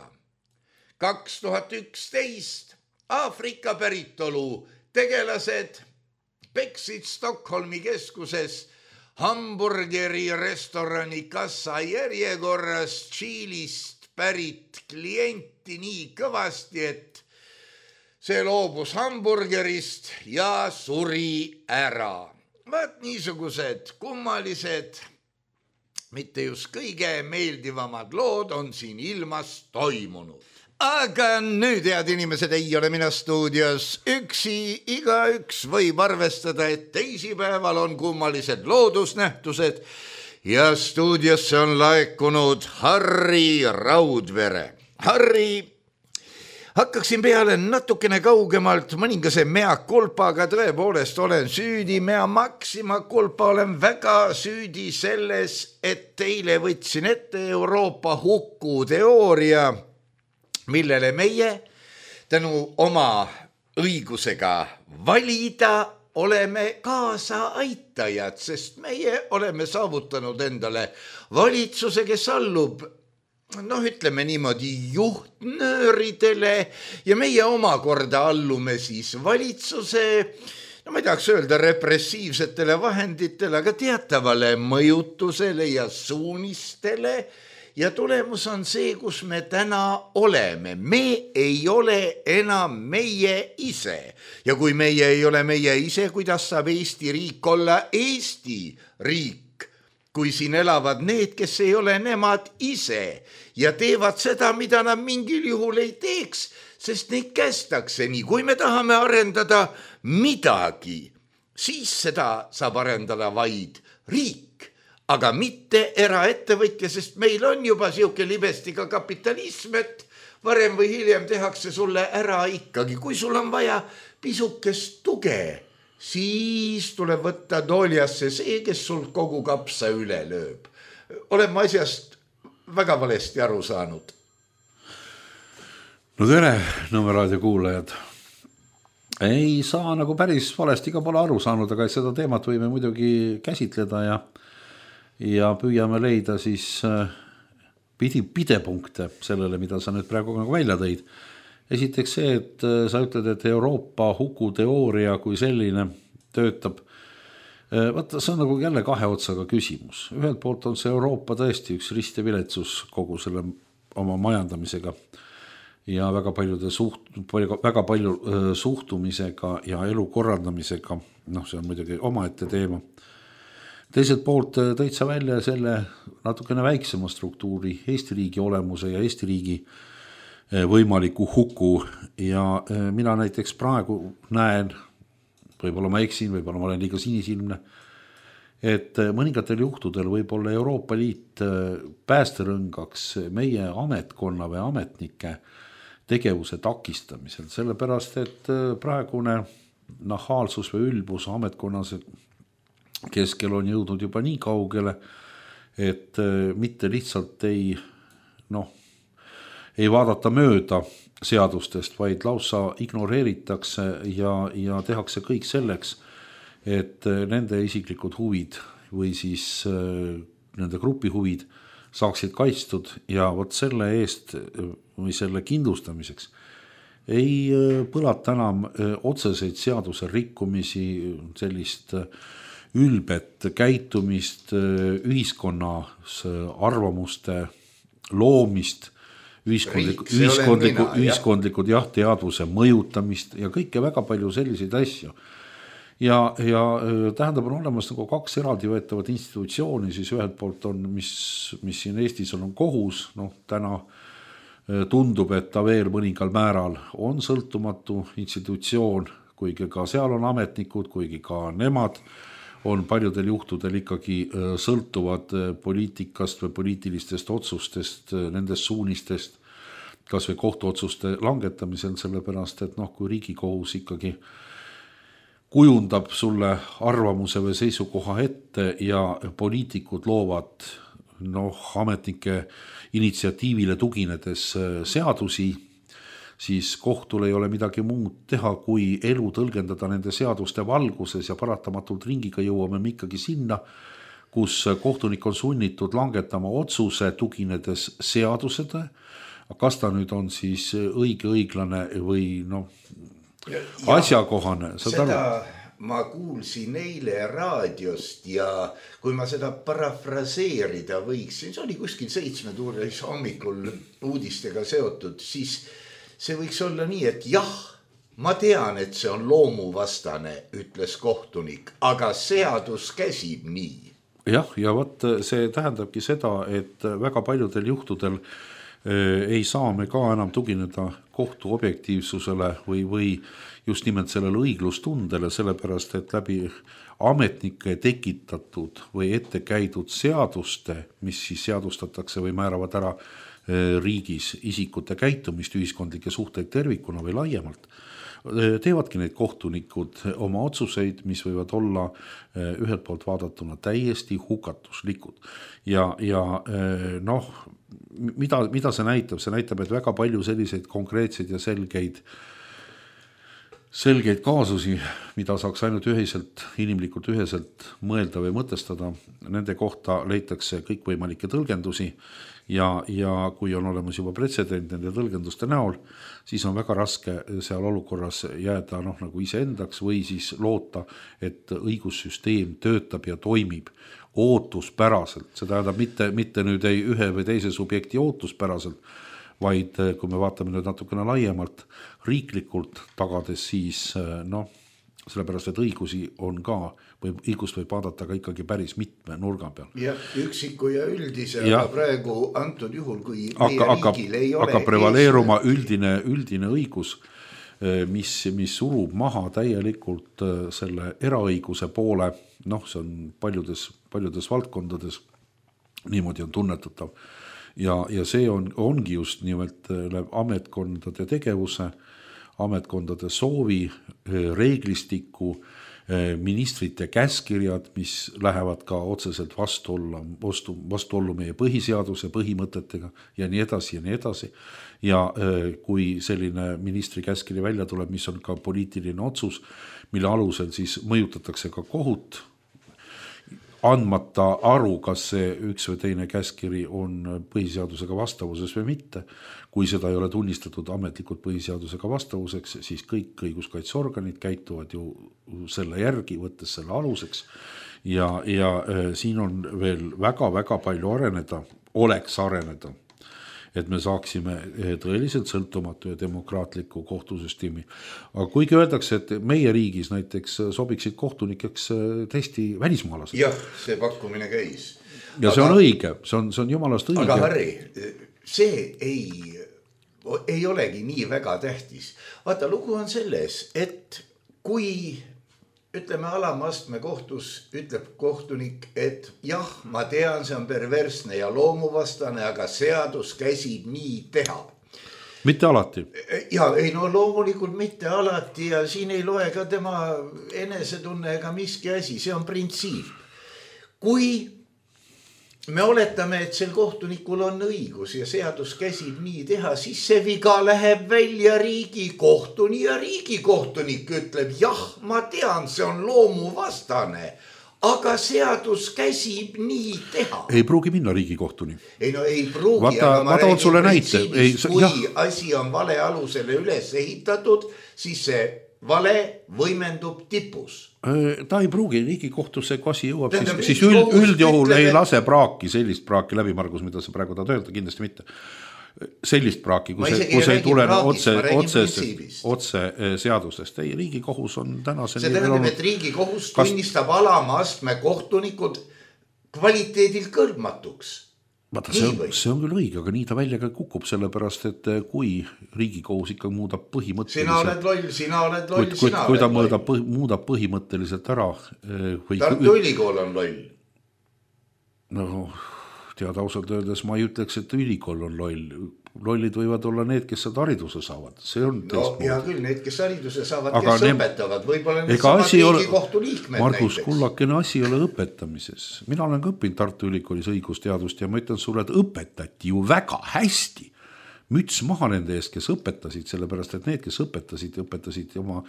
kaks tuhat üksteist Aafrika päritolu tegelased peksid Stockholmi keskuses hamburgeri restorani kassa järjekorras Tšiilist pärit klienti nii kõvasti, et see loobus hamburgerist ja suri ära. Vaat niisugused kummalised, mitte just kõige meeldivamad lood on siin ilmas toimunud. aga nüüd, head inimesed, ei ole mina stuudios üksi, igaüks võib arvestada, et teisipäeval on kummalised loodusnähtused ja stuudiosse on laekunud Harri Raudvere. Harri, hakkaksin peale natukene kaugemalt mõningase mea kulpaga, tõepoolest olen süüdi, mea maksima kulpa olen väga süüdi selles, et teile võtsin ette Euroopa hukuteooria, millele meie tänu oma õigusega valida oleme kaasa aitajad, sest meie oleme saavutanud endale valitsuse, kes allub, noh, ütleme niimoodi, juhtnööridele ja meie omakorda allume siis valitsuse, no ma ei tahaks öelda repressiivsetele vahenditele, aga teatavale mõjutusele ja suunistele. Ja tulemus on see, kus me täna oleme. Me ei ole enam meie ise. Ja kui meie ei ole meie ise, kuidas saab Eesti riik olla Eesti riik? Kui siin elavad need, kes ei ole nemad ise ja teevad seda, mida nad mingil juhul ei teeks, sest neid kästakse nii. Kui me tahame arendada midagi, siis seda saab arendada vaid riik. Aga mitte eraettevõtja, sest meil on juba siuke libestiga kapitalism, et varem või hiljem tehakse sulle ära ikkagi. Kui sul on vaja pisukest tuge, siis tuleb võtta tooljasse see, kes sul kogu kapsa üle lööb. Oleme asjast väga valesti aru saanud. No tere, Nõmme raadio kuulajad. Ei saa nagu päris valesti ka pole aru saanud, aga seda teemat võime muidugi käsitleda ja ja püüame leida siis pidi pidepunkte sellele, mida sa nüüd praegu välja tõid. Esiteks see, et sa ütled, et Euroopa hukuteooria kui selline töötab. Vaata, see on nagu jälle kahe otsaga küsimus. Ühelt poolt on see Euroopa tõesti üks rist ja viletsus kogu selle oma majandamisega ja väga, paljude suht, väga palju suhtumisega ja elu korraldamisega. Noh, see on muidugi omaette teema. Teiselt poolt tõid sa välja selle natukene väiksema struktuuri, Eesti riigi olemuse ja Eesti riigi võimaliku huku ja mina näiteks praegu näen, võib-olla ma eksin, võib-olla ma olen liiga sinisilmne, et mõningatel juhtudel võib-olla Euroopa Liit päästerõngaks meie ametkonna või ametnike tegevuse takistamisel, sellepärast et praegune nahaalsus või ülbus ametkonnas keskel on jõudnud juba nii kaugele, et mitte lihtsalt ei, noh, ei vaadata mööda seadustest, vaid lausa ignoreeritakse ja, ja tehakse kõik selleks, et nende isiklikud huvid või siis nende grupi huvid saaksid kaitstud ja vot selle eest või selle kindlustamiseks ei põlata enam otseseid seaduse rikkumisi, sellist ülbet käitumist, ühiskonnas arvamuste loomist, ühiskondliku, ühiskondliku, ühiskondlikud jah, teadvuse mõjutamist ja kõike väga palju selliseid asju. Ja, ja tähendab on olemas nagu kaks eraldi võetavat institutsiooni, siis ühelt poolt on, mis, mis siin Eestis on, on kohus, noh täna tundub, et ta veel mõningal määral on sõltumatu institutsioon, kuigi ka seal on ametnikud, kuigi ka nemad on paljudel juhtudel ikkagi sõltuvad poliitikast või poliitilistest otsustest, nendest suunistest, kas või kohtuotsuste langetamisel, sellepärast, et noh, kui Riigikohus ikkagi kujundab sulle arvamuse või seisukoha ette ja poliitikud loovad noh, ametnike initsiatiivile tuginedes seadusi, siis kohtul ei ole midagi muud teha, kui elu tõlgendada nende seaduste valguses ja paratamatult ringiga jõuame me ikkagi sinna, kus kohtunik on sunnitud langetama otsuse tuginedes seadused, kas ta nüüd on siis õige, õiglane või noh, asjakohane. Seda ma kuulsin eile raadiost ja kui ma seda parafraseerida võiksin, see oli kuskil seitsme tuuris hommikul uudistega seotud, siis see võiks olla nii, et jah, ma tean, et see on loomuvastane, ütles kohtunik, aga seadus käsib nii. Jah, ja võt, see tähendabki seda, et väga paljudel juhtudel ei saa me ka enam tugineda kohtu objektiivsusele või, või just nimelt sellele õiglustundele, sellepärast et läbi ametnike tekitatud või ette käidud seaduste, mis siis seadustatakse või määravad ära riigis isikute käitumist, ühiskondlikke suhteid tervikuna või laiemalt, teevadki need kohtunikud oma otsuseid, mis võivad olla ühelt poolt vaadatuna täiesti hukatuslikud. Ja, ja noh, mida, mida see näitab? See näitab, et väga palju selliseid konkreetseid ja selgeid selgeid kaasusi, mida saaks ainult ühiselt, inimlikult üheselt mõelda või mõtestada, nende kohta leitakse kõikvõimalikke tõlgendusi ja, ja kui on olemas juba pretsedent nende tõlgenduste näol, siis on väga raske seal olukorras jääda noh, nagu iseendaks või siis loota, et õigussüsteem töötab ja toimib ootuspäraselt. See tähendab mitte, mitte nüüd ei ühe või teise subjekti ootuspäraselt, vaid kui me vaatame nüüd natukene laiemalt riiklikult tagades, siis noh, sellepärast, et õigusi on ka, või õigust võib vaadata ka ikkagi päris mitme nurga peal. Ja üksiku ja üldise, ja, aga praegu antud juhul, kui meie hakkab, riigil ei ole hakkab prevaleeruma üldine, üldine õigus, mis, mis surub maha täielikult selle eraõiguse poole, noh, see on paljudes, paljudes valdkondades, niimoodi on tunnetatav. Ja, ja see on, ongi just nimelt ametkondade tegevuse, ametkondade soovi, reeglistiku, ministrite käskirjad, mis lähevad ka otseselt vastuolla, vastu, vastuollu meie põhiseaduse põhimõtetega ja nii edasi ja nii edasi. Ja kui selline ministri käskiri välja tuleb, mis on ka poliitiline otsus, mille alusel siis mõjutatakse ka kohut, andmata aru, kas see üks või teine käskiri on põhiseadusega vastavuses või mitte. Kui seda ei ole tunnistatud ametlikult põhiseadusega vastavuseks, siis kõik õiguskaitseorganid käituvad ju selle järgi, võttes selle aluseks. Ja, ja siin on veel väga-väga palju areneda, oleks areneda, et me saaksime tõeliselt sõltumatu ja demokraatliku kohtusüsteemi. Aga kuigi öeldakse, et meie riigis näiteks sobiksid kohtunikeks tõesti välismaalased. Jah, see pakkumine käis. Ja aga, see on õige, see on, see on jumalast õige. Aga Harri, see ei, ei olegi nii väga tähtis. Vaata, lugu on selles, et kui ütleme alamastme kohtus, ütleb kohtunik, et jah, ma tean, see on perversne ja loomuvastane, aga seadus käsib nii teha. Mitte alati. Ja ei no loomulikult mitte alati ja siin ei loe ka tema enesetunne ega miski asi, see on printsiip. Kui me oletame, et sel kohtunikul on õigus ja seadus käsib nii teha, siis see viga läheb välja riigikohtuni ja riigikohtunik ütleb, jah, ma tean, see on loomuvastane, aga seadus käsib nii teha. Ei pruugi minna riigikohtuni. Ei no ei pruugi, vaata, aga ma räägin printsiibis, kui jah. Asi on vale alusele üles ehitatud, siis see vale võimendub tipus. Ta ei pruugi riigikohtusse, kui asi jõuab, Tähendab, siis, siis üld, üldjohul ütleb, ei lase praaki, sellist praaki läbi, Margus, mida sa praegu tahad öelda, kindlasti mitte. Sellist praaki, kui see, kui see ei tule otse, otse, otse seadustest. Ei, riigikohus on tänaseni... See tähendab, et riigikohus kas... tunnistab alama astme kohtunikud kvaliteedil kõlbmatuks. Vaata, see, on, see on küll õige, aga nii ta välja ka kukub, sellepärast, et kui riigikohus ikka muudab põhimõtteliselt... Sina oled loll, sina oled loll, kui, sina kui ta oled muudab, loll. Muudab põhimõtteliselt ära... Või... Tartu ülikool on loll. No, tead ausalt öeldes, ma ei ütleks, et ülikool on loll. Lollid võivad olla need, kes seda hariduse saavad. See on no hea küll, need, kes hariduse saavad, aga kes ne... õpetavad. Võib-olla need samad riigikohtu liikmed Margus, näiteks. Kullakene asi ei ole õpetamises. Mina olen ka õppinud Tartu Ülikoolis õigusteadust ja ma ütlen sulle, et õpetati ju väga hästi. Müts maha nende eest, kes õpetasid, sellepärast, et need, kes õpetasid, õpetasid oma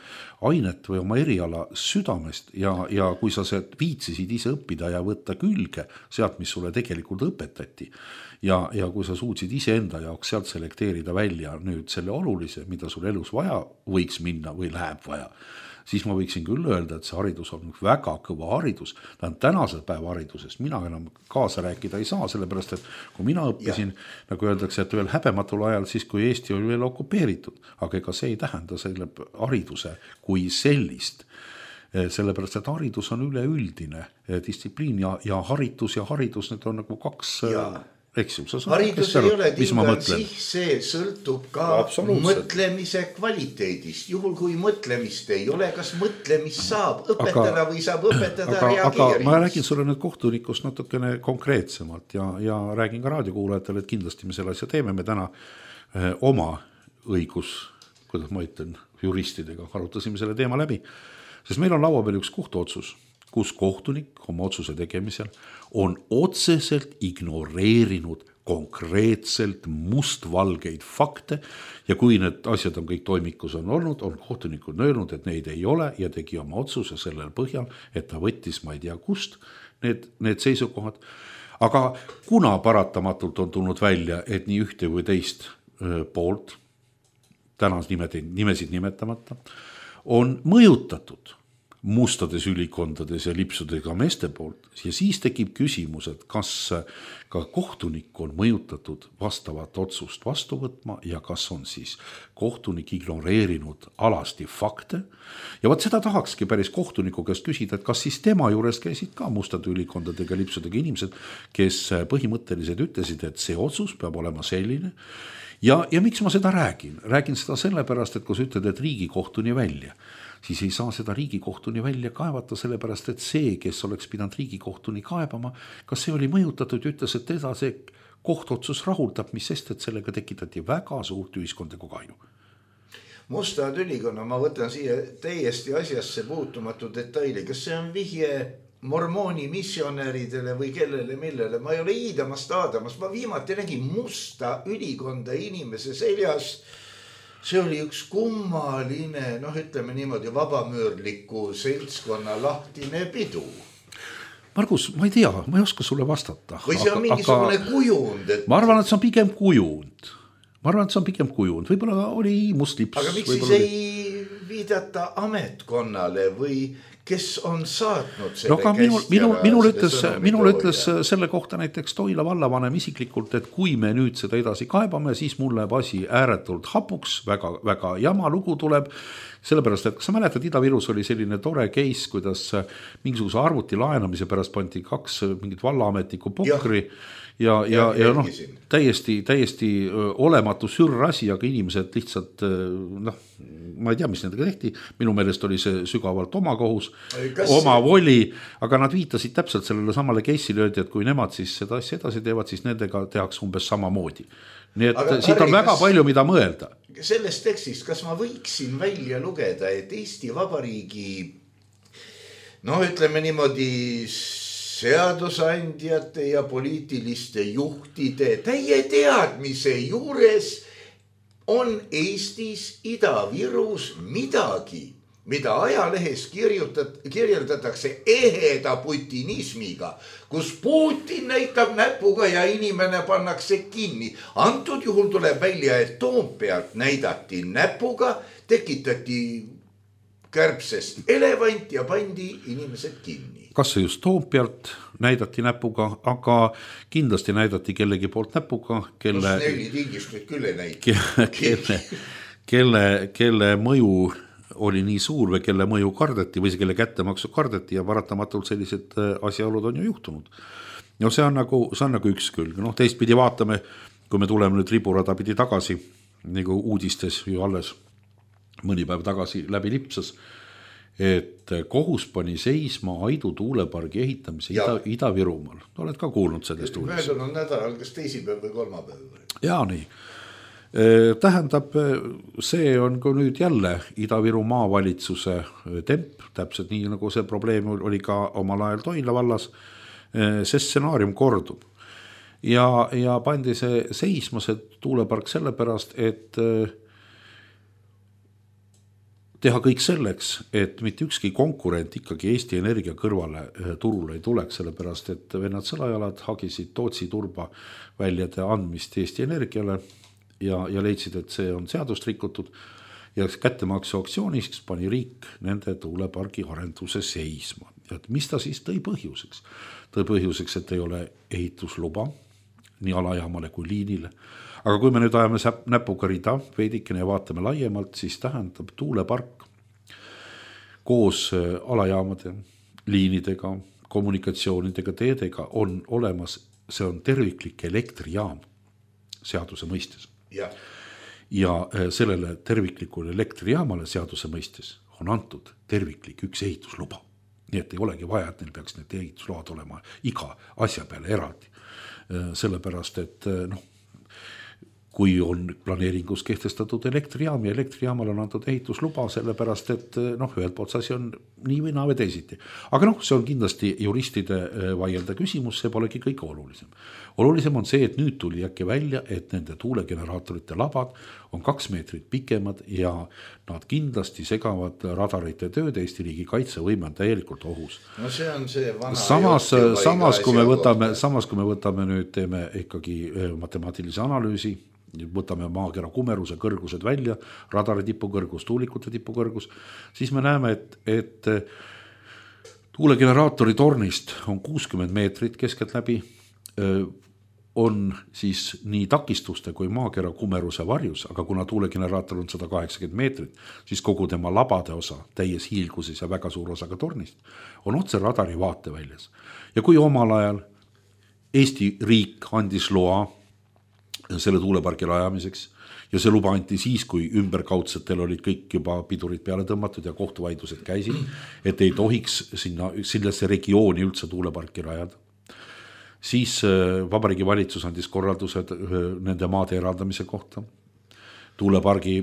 ainet või oma eriala südamest ja, ja kui sa viitsisid ise õppida ja võtta külge sealt, mis sulle tegelikult õpetati ja, ja kui sa suutsid ise enda jaoks sealt selekteerida välja nüüd selle olulise, mida sul elus vaja võiks minna või läheb vaja, siis ma võiksin küll öelda, et see haridus on väga kõva haridus. Ta on tänase päeva haridusest. Mina enam kaasa rääkida ei saa, sellepärast, et kui mina õppisin, ja. Nagu öeldakse, et veel häbematul ajal, siis kui Eesti oli veel okupeeritud, aga ega see ei tähenda selle hariduse kui sellist. Sellepärast, et haridus on üleüldine distsipliin ja, ja haritus ja haridus, need on nagu kaks... Ja. eks ju, haridus ei ole tingalt sih, see sõltub ka mõtlemise kvaliteedist. Juhul kui mõtlemist ei ole, kas mõtlemist saab õpetada aga, või saab õpetada aga, reageerimist. Aga ma räägin sulle nüüd kohtunikust natukene konkreetsemalt ja, ja räägin ka raadiokuulajatele, et kindlasti me selle asja teeme. Me täna eh, oma õigus, kuidas ma ütlen, juristidega arutasime selle teema läbi, sest meil on laua peal üks kohtuotsus, kus kohtunik oma otsuse tegemisel on otseselt ignoreerinud konkreetselt mustvalgeid fakte ja kui need asjad on kõik toimikus on olnud, on kohtunikud öelnud, et neid ei ole ja tegi oma otsuse sellel põhjal, et ta võttis, ma ei tea kust, need, need seisukohad. Aga kuna paratamatult on tulnud välja, et nii ühte või teist öö, poolt, tänas nimed, nimesid nimetamata, on mõjutatud mustades ülikondades ja lipsudega meeste poolt ja siis tekib küsimus, et kas ka kohtunik on mõjutatud vastavat otsust vastu võtma ja kas on siis kohtunik ignoreerinud alasti fakte ja võt seda tahakski päris kohtuniku käest küsida, et kas siis tema juures käisid ka mustade ülikondadega lipsudega inimesed, kes põhimõtteliselt ütlesid, et see otsus peab olema selline ja, ja miks ma seda räägin? Räägin seda sellepärast, et kui sa ütled, et riigikohtuni välja, siis ei saa seda riigikohtuni välja kaevata, sellepärast, et see, kes oleks pidanud riigikohtuni kaebama, kas see oli mõjutatud ja ütles, et teda see kohtotsus rahuldab, mis sest, et sellega tekitati väga suurt ühiskondlikku kahju. Mustad ülikonna, ma võtan siia täiesti asjasse puutumatu detaili, kas see on vihje mormooni missionäridele või kellele millele, ma ei ole iidamas taadamas, ma viimati nägin musta ülikonda inimese seljas. See oli üks kummaline, noh ütleme niimoodi vabamüürliku seltskonna lahtine pidu. Margus, ma ei tea, ma ei oska sulle vastata. Või see on aga, mingisugune aga, kujund? Et... Ma arvan, et see on pigem kujund. Ma arvan, et see on pigem kujund. Võib-olla oli mustlips. Aga miks siis ei viidata ametkonnale või kes on saatnud selle no, minul, minul, minul, ütles, minul ütles selle kohta näiteks Toila vallavanem isiklikult, et kui me nüüd seda edasi kaebame, siis mul läheb asi ääretult hapuks, väga, väga jama lugu tuleb, sellepärast, et kas sa mäletad, Ida-Virus oli selline tore case, kuidas mingisuguse arvuti laenamise pärast pandi kaks mingit vallaametniku pokri ja, ja, ja, ja noh, täiesti, täiesti olematu sürrasi, aga inimesed lihtsalt, noh, ma ei tea, mis nendega tehti, minu meelest oli see sügavalt oma kohus, kas... oma voli, aga nad viitasid täpselt sellele samale case'ile, öeldi, et kui nemad siis seda asja edasi teevad, siis nendega tehakse umbes sama moodi. Nii et aga, siit on Harri, väga kas... palju, mida mõelda. Sellest tekstist, kas ma võiksin välja lugeda, et Eesti Vabariigi, no ütleme niimoodi, seadusandjate ja poliitiliste juhtide täie teadmise juures on Eestis Ida-Virus midagi, mida ajalehes kirjutat, kirjeldatakse eheda putinismiga, kus Putin näitab näpuga ja inimene pannakse kinni. Antud juhul tuleb välja, et Toompealt näidati näpuga, tekitati kärbsest elevant ja pandi inimesed kinni. Kas see just Toompealt näidati näpuga, aga kindlasti näidati kellegi poolt näpuga, kelle, no, neli tingistrit küll ei näid. Kelle, kelle, kelle mõju oli nii suur või kelle mõju kardeti või see kelle kättemaksu kardeti ja paratamatult sellised asjaolud on ju juhtunud. No see on nagu, see on nagu üks külg. No, teistpidi vaatame, kui me tuleme nüüd riburada pidi tagasi, nagu uudistes ju alles mõni päev tagasi läbi lipsas, et kohus pani seisma Aidu tuulepargi ehitamise Ida, Ida-Virumaal. Oled ka kuulnud sellest uudist? Möödunud nädalal, kas teisipäev või kolmapäev? Ja nii. Tähendab, see on ka nüüd jälle Ida-Viru maavalitsuse temp, täpselt nii nagu see probleem oli ka omal ajal Toila vallas, see stsenaarium kordub. Ja, ja pandi see seisma see tuulepark sellepärast, et teha kõik selleks, et mitte ükski konkurent ikkagi Eesti Energia kõrvale turule ei tuleks, sellepärast et vennad sõlajalad hagisid Tootsi turba väljade andmist Eesti Energiale ja, ja leidsid, et see on seadust rikutud ja kättemaksu aktsiooniks pani riik nende tuulepargi arenduse seisma. Et mis ta siis tõi põhjuseks? Tõi põhjuseks, et ei ole ehitusluba nii alajaamale kui liinile. Aga kui me nüüd ajame näpuga rida veidikene ja vaatame laiemalt, siis tähendab tuulepark koos alajaamade, liinidega, kommunikatsioonidega, teedega on olemas see on terviklik elektrijaam seaduse mõistes. Ja. ja sellele terviklikule elektrijaamale seaduse mõistes on antud terviklik üks ehitusluba. Nii et ei olegi vaja, et neil peaks need ehitusload olema iga asja peale eraldi. Sellepärast, et noh, kui on planeeringus kehtestatud elektrijaam ja elektrijaamal on antud ehitusluba, sellepärast, et noh, ühelt poolt asi on nii või naa või teisiti. Aga noh, see on kindlasti juristide vaielda küsimus, see polegi kõige olulisem. Olulisem on see, et nüüd tuli äkki välja, et nende tuulegeneraatorite labad on kaks meetrit pikemad ja nad kindlasti segavad radarite tööd, Eesti riigi kaitsevõime on täielikult ohus. No see on see vana samas, samas, kui me võtame, samas kui me võtame nüüd, teeme ikkagi matemaatilise analüüsi, võtame maakera kumeruse kõrgused välja, radari tipukõrgus, tuulikute tipukõrgus, siis me näeme, et, et tuulegeneraatori tornist on kuuskümmend meetrit keskelt läbi, on siis nii takistuste kui maakera kumeruse varjus, aga kuna tuulegeneraator on sada kaheksakümmend meetrit, siis kogu tema labade osa täies hiilguses ja väga suur osa ka tornist on otse radari vaateväljas. Ja kui omal ajal Eesti riik andis loa selle tuulepargi rajamiseks ja see luba anti siis, kui ümberkaudsetel olid kõik juba pidurid peale tõmmatud ja kohtuvaidlused käisid, et ei tohiks sinna, sellesse regiooni üldse tuuleparki rajada. Siis Vabariigi Valitsus andis korraldused nende maade eraldamise kohta. Tuulepargi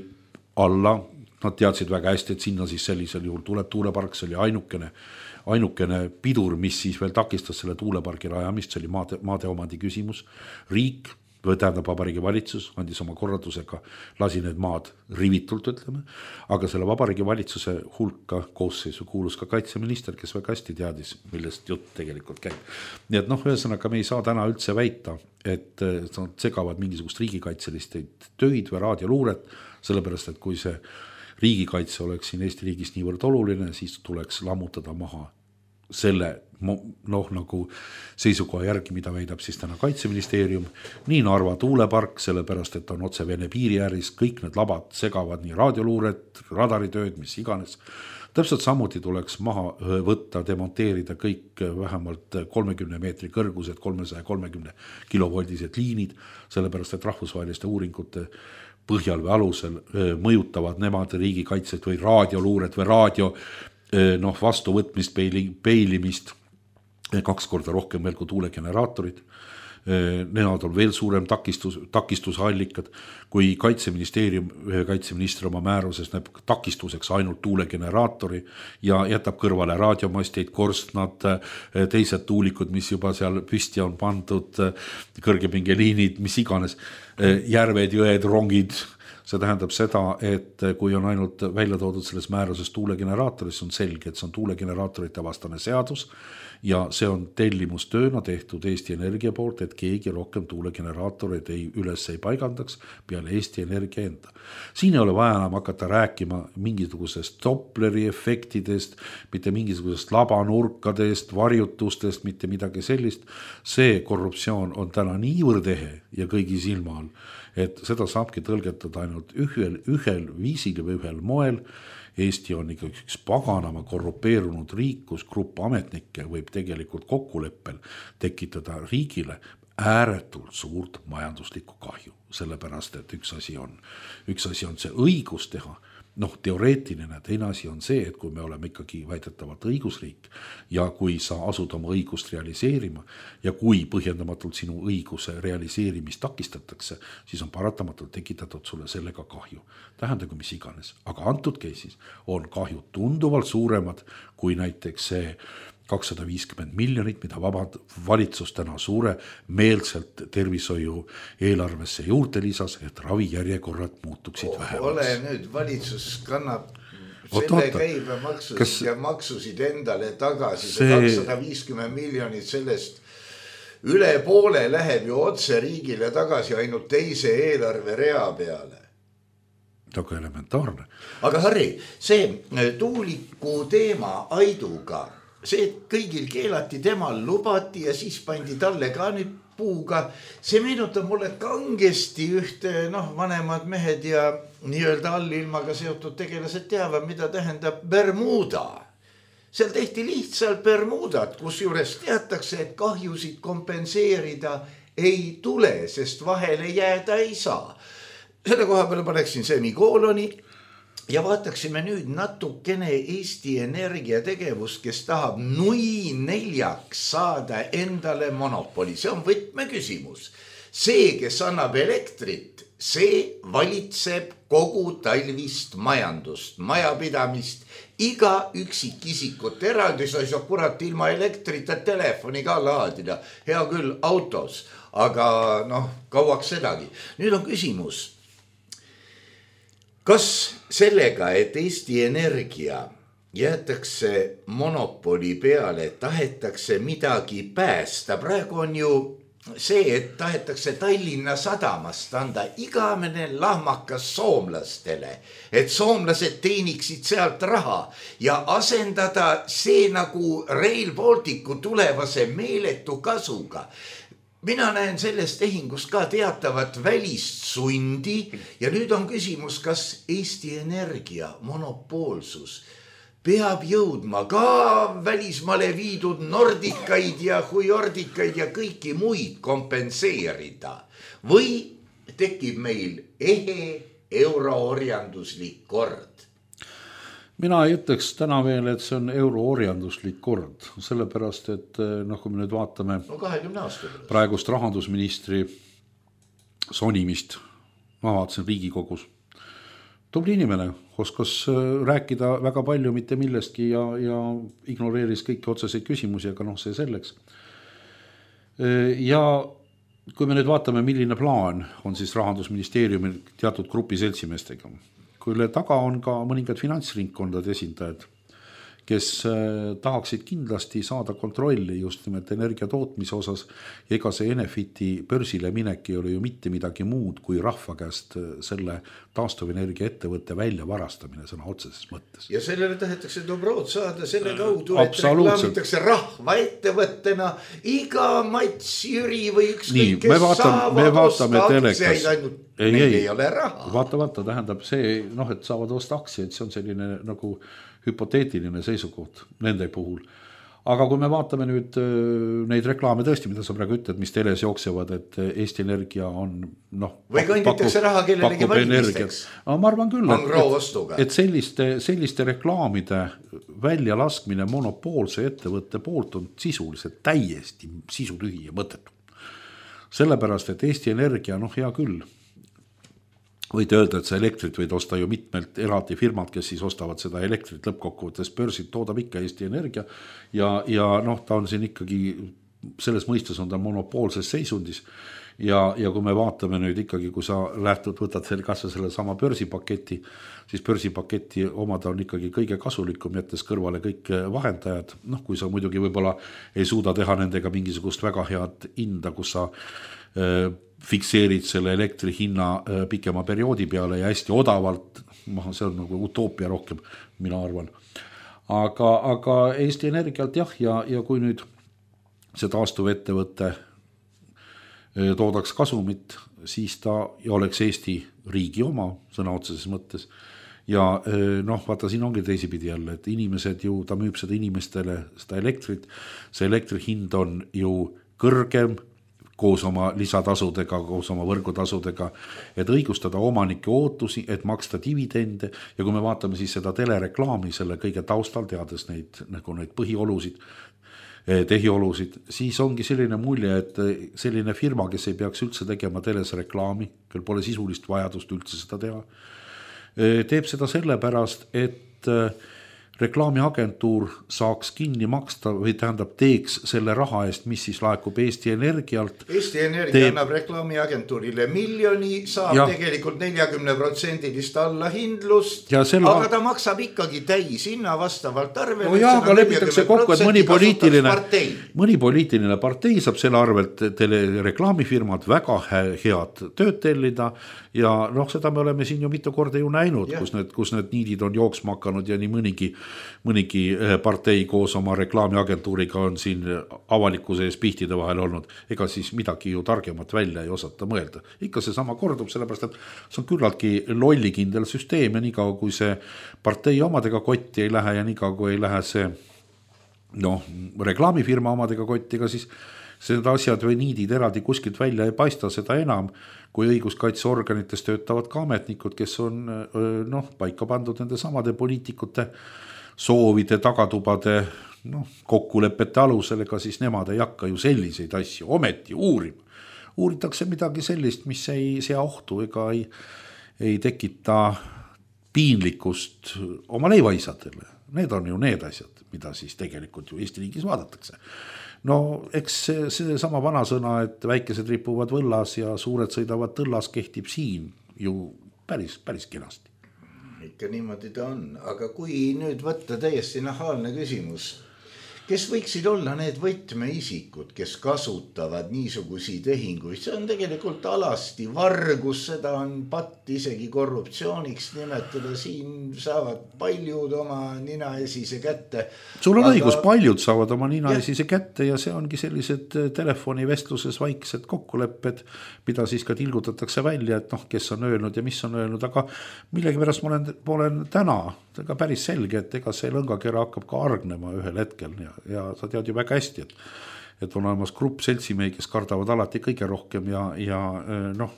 alla, nad teadsid väga hästi, et sinna siis sellisel juhul tuleb tuulepark, see oli ainukene, ainukene pidur, mis siis veel takistas selle tuulepargi rajamist, see oli maade, maade omandi küsimus. Riik, või tähendab Vabariigi Valitsus, andis oma korraldusega, lasi need maad rivitult, ütleme, aga selle Vabariigi Valitsuse hulka koosseisu kuulus ka kaitseminister, kes väga hästi teadis, millest jutt tegelikult käib. Nii et noh, ühesõnaga me ei saa täna üldse väita, et nad segavad mingisugust riigikaitselist töid või raadioluuret, sellepärast, et kui see riigikaitse oleks siin Eesti riigis niivõrd oluline, siis tuleks lammutada maha selle noh, nagu seisukoha järgi, mida väidab siis täna Kaitseministeerium, nii Narva tuulepark, sellepärast, et on otse Vene piiri ääris, kõik need labad segavad nii raadioluuret, radaritööd, mis iganes. Täpselt samuti tuleks maha võtta, demonteerida kõik vähemalt kolmekümne meetri kõrgused, kolmesaja kolmekümne kilovoldised liinid, sellepärast, et rahvusvaheliste uuringute põhjal või alusel mõjutavad nemad riigikaitset või raadioluuret või raadio noh, vastuvõtmist, peili, peilimist kaks korda rohkem veel kui tuulegeneraatorid. Nemad on veel suurem takistus, takistusallikad, kui Kaitseministeerium, kaitseminister oma määruses näeb takistuseks ainult tuulegeneraatori ja jätab kõrvale raadiomasteid, korstnad, teised tuulikud, mis juba seal püsti on pandud, kõrgepingeliinid, mis iganes, järved, jõed, rongid. See tähendab seda, et kui on ainult välja toodud selles määruses tuulegeneraatoris, on selge, et see on tuulegeneraatorite vastane seadus ja see on tellimustööna tehtud Eesti Energia poolt, et keegi rohkem tuulegeneraatoreid ei üles ei paigandaks peale Eesti Energia enda. Siin ei ole vaja enam hakata rääkima mingisugusest Dopleri efektidest, mitte mingisugusest labanurkadest, varjutustest, mitte midagi sellist. See korruptsioon on täna niivõrd ehe ja kõigi silma all, et seda saabki tõlgetada ainult ühel, ühel viisil või ühel moel. Eesti on ikka üks paganama korrupeerunud riik, kus grupp ametnikke võib tegelikult kokkuleppel tekitada riigile ääretult suurt majanduslikku kahju. Sellepärast, et üks asi on, üks asi on see õigus teha. Noh, teoreetiline, teine asi on see, et kui me oleme ikkagi väidetavalt õigusriik ja kui sa asud oma õigust realiseerima ja kui põhjendamatult sinu õiguse realiseerimist takistatakse, siis on paratamatult tekitatud sulle sellega kahju. Tähendagu mis iganes, aga antud case'is on kahju tunduvalt suuremad kui näiteks see kakssada viiskümmend miljonit, mida vabad valitsus täna suure meelselt tervishoiu eelarvesse juurde lisas, et ravijärjekorrad muutuksid vähemaks. Ole nüüd, valitsus kannab selle käibemaksusid Kas... ja maksusid endale tagasi. See kakssada viiskümmend miljonit sellest üle poole läheb ju otse riigile tagasi ainult teise eelarve rea peale. Väga elementaarne. Aga Harri, see tuuliku teema Aiduga, see kõigil keelati, temal lubati ja siis pandi talle ka nüüd puuga. See meenutab mulle kangesti ühte noh, vanemad mehed ja nii-öelda allilmaga seotud tegelased teavad, mida tähendab Bermuda. seal tehti lihtsalt Bermudat, kus juures teatakse, et kahjusid kompenseerida ei tule, sest vahele jääda ei saa. Selle koha peale paneksin semikooloni ja vaataksime nüüd natukene Eesti Energia tegevust, kes tahab nui neljaks saada endale monopoli. See on võtmeküsimus. See, kes annab elektrit, see valitseb kogu talvist majandust, majapidamist, iga üksikisikut eraldi, sa ei saa kurat ilma elektrita telefoni ka laadida. Hea küll autos, aga noh, kauaks sedagi. Nüüd on küsimus. Kas sellega, et Eesti Energia jäetakse monopoli peale, tahetakse midagi päästa? Praegu on ju see, et tahetakse Tallinna sadamast anda igamene lahmakas soomlastele, et soomlased teeniksid sealt raha ja asendada see nagu Rail Balticu tulevase meeletu kasuga. Mina näen sellest tehingust ka teatavat välist sundi ja nüüd on küsimus, kas Eesti Energia monopoolsus peab jõudma ka välismaale viidud nordikaid ja huiordikaid ja kõiki muid kompenseerida või tekib meil ehe euroorjanduslik kord? Mina ei ütleks täna veel, et see on euroorjanduslik kord, sellepärast, et noh, kui me nüüd vaatame no kahekümne aasta praegust rahandusministri sonimist, ma vaatasin Riigikogus, tubli inimene, oskas rääkida väga palju mitte millestki ja, ja ignoreeris kõiki otseseid küsimusi, aga noh, see selleks. Ja kui me nüüd vaatame, milline plaan on siis rahandusministeeriumil teatud grupi seltsimeestega, kuille taga on ka mõningad finantsringkondade esindajad, kes tahaksid kindlasti saada kontrolli just nimelt energia tootmise osas ja ega see Enefiti börsile minek ei ole ju mitte midagi muud kui rahva käest selle taastuvenergia ettevõtte välja varastamine sõna otseses mõttes. Ja sellele tahetakse dobrood saada selle kaudu, et reklaamitakse rahva ettevõttena iga Mats, Jüri või ükskõik, kes me vaatame, saavad me vaatame osta telekas. aktsiaid ainult, ei, meil ei, ei ole raha. Vaata, vaata, tähendab see, noh, et saavad osta aktsiaid, see on selline nagu hüpoteetiline seisukoht nende puhul. Aga kui me vaatame nüüd neid reklaame tõesti, mida sa praegu ütled, mis teles jooksevad, et Eesti Energia on noh, või kanditakse raha kellelegi valimisteks. No, ma arvan küll, et, et selliste, selliste reklaamide välja laskmine monopoolse ettevõtte poolt on sisuliselt täiesti sisutühi ja mõttetu. Sellepärast, et Eesti Energia, noh hea küll, võid öelda, et see elektrit võid osta ju mitmelt eraldi firmad, kes siis ostavad seda elektrit lõppkokkuvõttes börsid, toodab ikka Eesti Energia ja, ja noh, ta on siin ikkagi, selles mõistes on ta monopoolses seisundis ja, ja kui me vaatame nüüd ikkagi, kui sa lähtud, võtad selle kas selle sama börsipaketi, siis börsipaketi omada on ikkagi kõige kasulikum, jättes kõrvale kõik vahendajad, noh kui sa muidugi võib-olla ei suuda teha nendega mingisugust väga head hinda, kus sa äh, fikseerid selle elektri hinna pikema perioodi peale ja hästi odavalt, see on nagu utoopia rohkem, mina arvan. Aga, aga Eesti Energialt jah, ja, ja kui nüüd see taastuv ettevõte toodaks kasumit, siis ta oleks Eesti riigi oma, sõna otseses mõttes. Ja noh, vaata, siin ongi teisipidi jälle, et inimesed ju, ta müüb seda inimestele, seda elektrit, see elektri hind on ju kõrgem, koos oma lisatasudega, koos oma võrgutasudega, et õigustada omanike ootusi, et maksta dividende ja kui me vaatame siis seda telereklaami selle kõige taustal, teades neid, nagu neid põhiolusid, tehiolusid, siis ongi selline mulje, et selline firma, kes ei peaks üldse tegema teles reklaami, kel pole sisulist vajadust üldse seda teha, teeb seda sellepärast, et reklaamiagentuur saaks kinni maksta või tähendab teeks selle raha eest, mis siis laekub Eesti Energialt. Eesti Energia teeb... annab reklaamiagentuurile miljoni, saab ja. tegelikult neljakümne protsendilist allahindlust, selle... aga ta maksab ikkagi täis hinna vastavalt arvele. No jaa, aga lepitakse kokku, et mõni poliitiline, mõni poliitiline partei saab selle arvelt tele reklaamifirmad väga head tööd tellida ja noh, seda me oleme siin ju mitu korda ju näinud, kus need, kus need niidid on jooksma hakanud ja nii mõnigi mõnigi partei koos oma reklaamiagentuuriga on siin avalikkuse ees pihtide vahel olnud, ega siis midagi ju targemat välja ei osata mõelda. Ikka see sama kordub, sellepärast, et see on küllaltki lollikindel süsteem ja nii kaua, kui see partei omadega kotti ei lähe ja nii kaua, kui ei lähe see noh, reklaamifirma omadega kotti, ega siis seda asjad või niidid eraldi kuskilt välja ei paista, seda enam, kui õiguskaitseorganites töötavad ka ametnikud, kes on noh, paika pandud nende samade poliitikute soovide, tagatubade noh, kokkulepete alusel, ega siis nemad ei hakka ju selliseid asju ometi uurima. Uuritakse midagi sellist, mis ei sea ohtu ega ei, ei tekita piinlikkust oma leivaisadele. Need on ju need asjad, mida siis tegelikult ju Eesti riigis vaadatakse. No eks see, see sama vanasõna, et väikesed ripuvad võllas ja suured sõidavad tõllas, kehtib siin ju päris, päris kenasti. Ikka niimoodi ta on, aga kui nüüd võtta täiesti nahaalne küsimus, kes võiksid olla need võtmeisikud, kes kasutavad niisugusi tehinguid? See on tegelikult alasti vargus, seda on patt isegi korruptsiooniks nimetada, siin saavad paljud oma ninaesise kätte. Sul on aga... õigus, paljud saavad oma ninaesise kätte ja see ongi sellised telefonivestluses vaiksed kokkulepped, mida siis ka tilgutatakse välja, et noh, kes on öelnud ja mis on öelnud, aga millegi pärast ma olen, ma olen täna ka päris selge, et ega see lõngakera hakkab ka argnema ühel hetkel ja, ja sa tead ju väga hästi, et, et on olemas grupp seltsimehi, kes kardavad alati kõige rohkem ja, ja noh.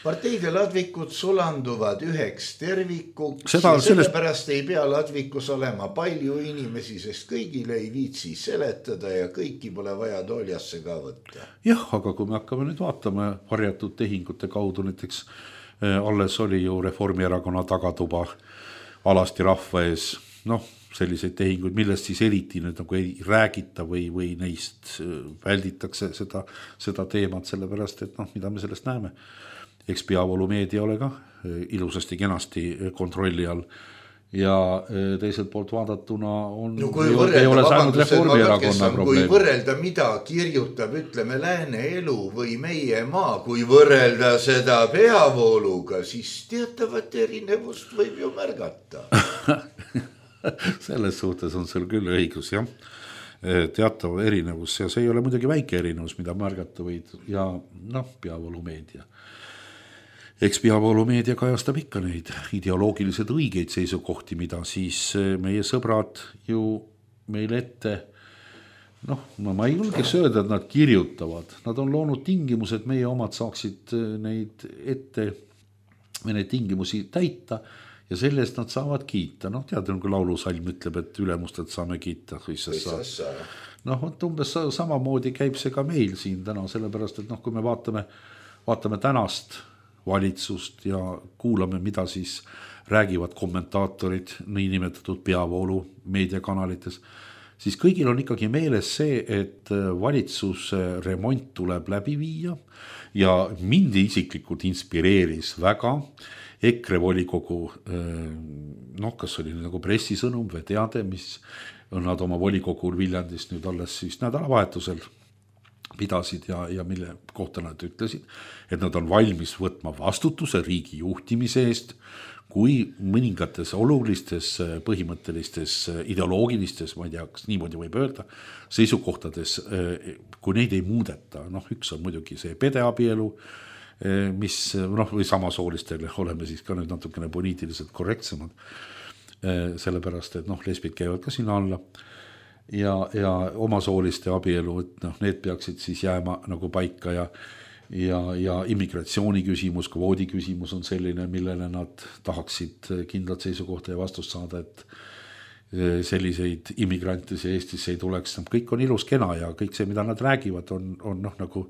Parteide ladvikud sulanduvad üheks tervikuks Seda, ja sellepärast sellest... ei pea ladvikus olema palju inimesi, sest kõigile ei viitsi seletada ja kõiki pole vaja tooljasse ka võtta. Jah, aga kui me hakkame nüüd vaatama varjatud tehingute kaudu, näiteks alles oli ju Reformierakonna tagatuba alasti rahva ees, noh, selliseid tehinguid, millest siis eriti nüüd nagu ei räägita või, või neist välditakse seda, seda teemat, sellepärast, et noh, mida me sellest näeme. Eks Peavoolu meedia ole ka ilusasti kenasti kontrolli all ja teiselt poolt vaadatuna on no, kui võrrelda, ei ole saanud Reformierakonna probleem. Kui võrrelda, mida kirjutab, ütleme, Lääne elu või meie maa, kui võrrelda seda Peavooluga, siis teatavat erinevust võib ju märgata. Selles suhtes on sul küll õigus, jah. Teatav erinevus ja see ei ole muidugi väike erinevus, mida märgata võid ja noh, Peavoolu meedia. Eks Peavoolu meedia kajastab ikka neid ideoloogiliselt õigeid seisukohti, mida siis meie sõbrad ju meil ette, noh, ma ei julgeks öelda, et nad kirjutavad. Nad on loonud tingimused, meie omad saaksid neid ette, neid tingimusi täita ja sellest nad saavad kiita. Noh, tead, kui laulusalm ütleb, et ülemustelt saame kiita. Noh, umbes samamoodi käib see ka meil siin täna, sellepärast, et noh, kui me vaatame, vaatame tänast valitsust ja kuulame, mida siis räägivad kommentaatorid niinimetatud Peavoolu meediakanalites, siis kõigil on ikkagi meeles see, et valitsuse remont tuleb läbi viia ja mind isiklikult inspireeris väga EKRE volikogu, noh, kas oli nagu pressisõnum või teade, mis nad oma volikogul Viljandis nüüd alles siis nädalavahetusel pidasid ja, ja mille kohta nad ütlesid, et nad on valmis võtma vastutuse riigi juhtimise eest, kui mõningates olulistes, põhimõttelistes, ideoloogilistes, ma ei tea, kas niimoodi võib öelda, seisukohtades, kui neid ei muudeta. Noh, üks on muidugi see pedeabielu, mis, noh, või samasoolistele oleme siis ka nüüd natukene poliitiliselt korrektsemad, sellepärast, et noh, lesbid käivad ka sinna alla. Ja, ja omasooliste abielu, et noh, need peaksid siis jääma nagu paika ja, ja, ja immigratsiooni küsimus, kvoodi küsimus on selline, millele nad tahaksid kindlat seisukohta ja vastust saada, et selliseid immigrante see Eestisse ei tuleks. Kõik on ilus kena ja kõik see, mida nad räägivad, on, on noh, nagu,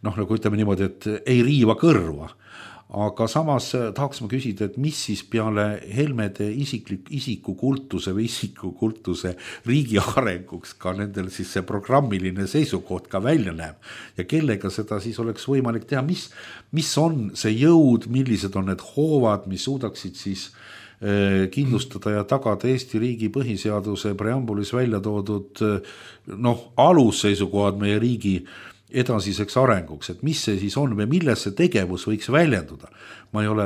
noh, nagu ütleme niimoodi, et ei riiva kõrva. Aga samas tahaks ma küsida, et mis siis peale Helmede isiklik, isikukultuse või isikukultuse riigi arenguks ka nendel siis see programmiline seisukoht ka välja näeb ja kellega seda siis oleks võimalik teha, mis, mis on see jõud, millised on need hoovad, mis suudaksid siis eh, kindlustada ja tagada Eesti riigi põhiseaduse preambulis välja toodud noh, alusseisukohad meie riigi edasiseks arenguks, et mis see siis on või milles see tegevus võiks väljenduda. Ma ei ole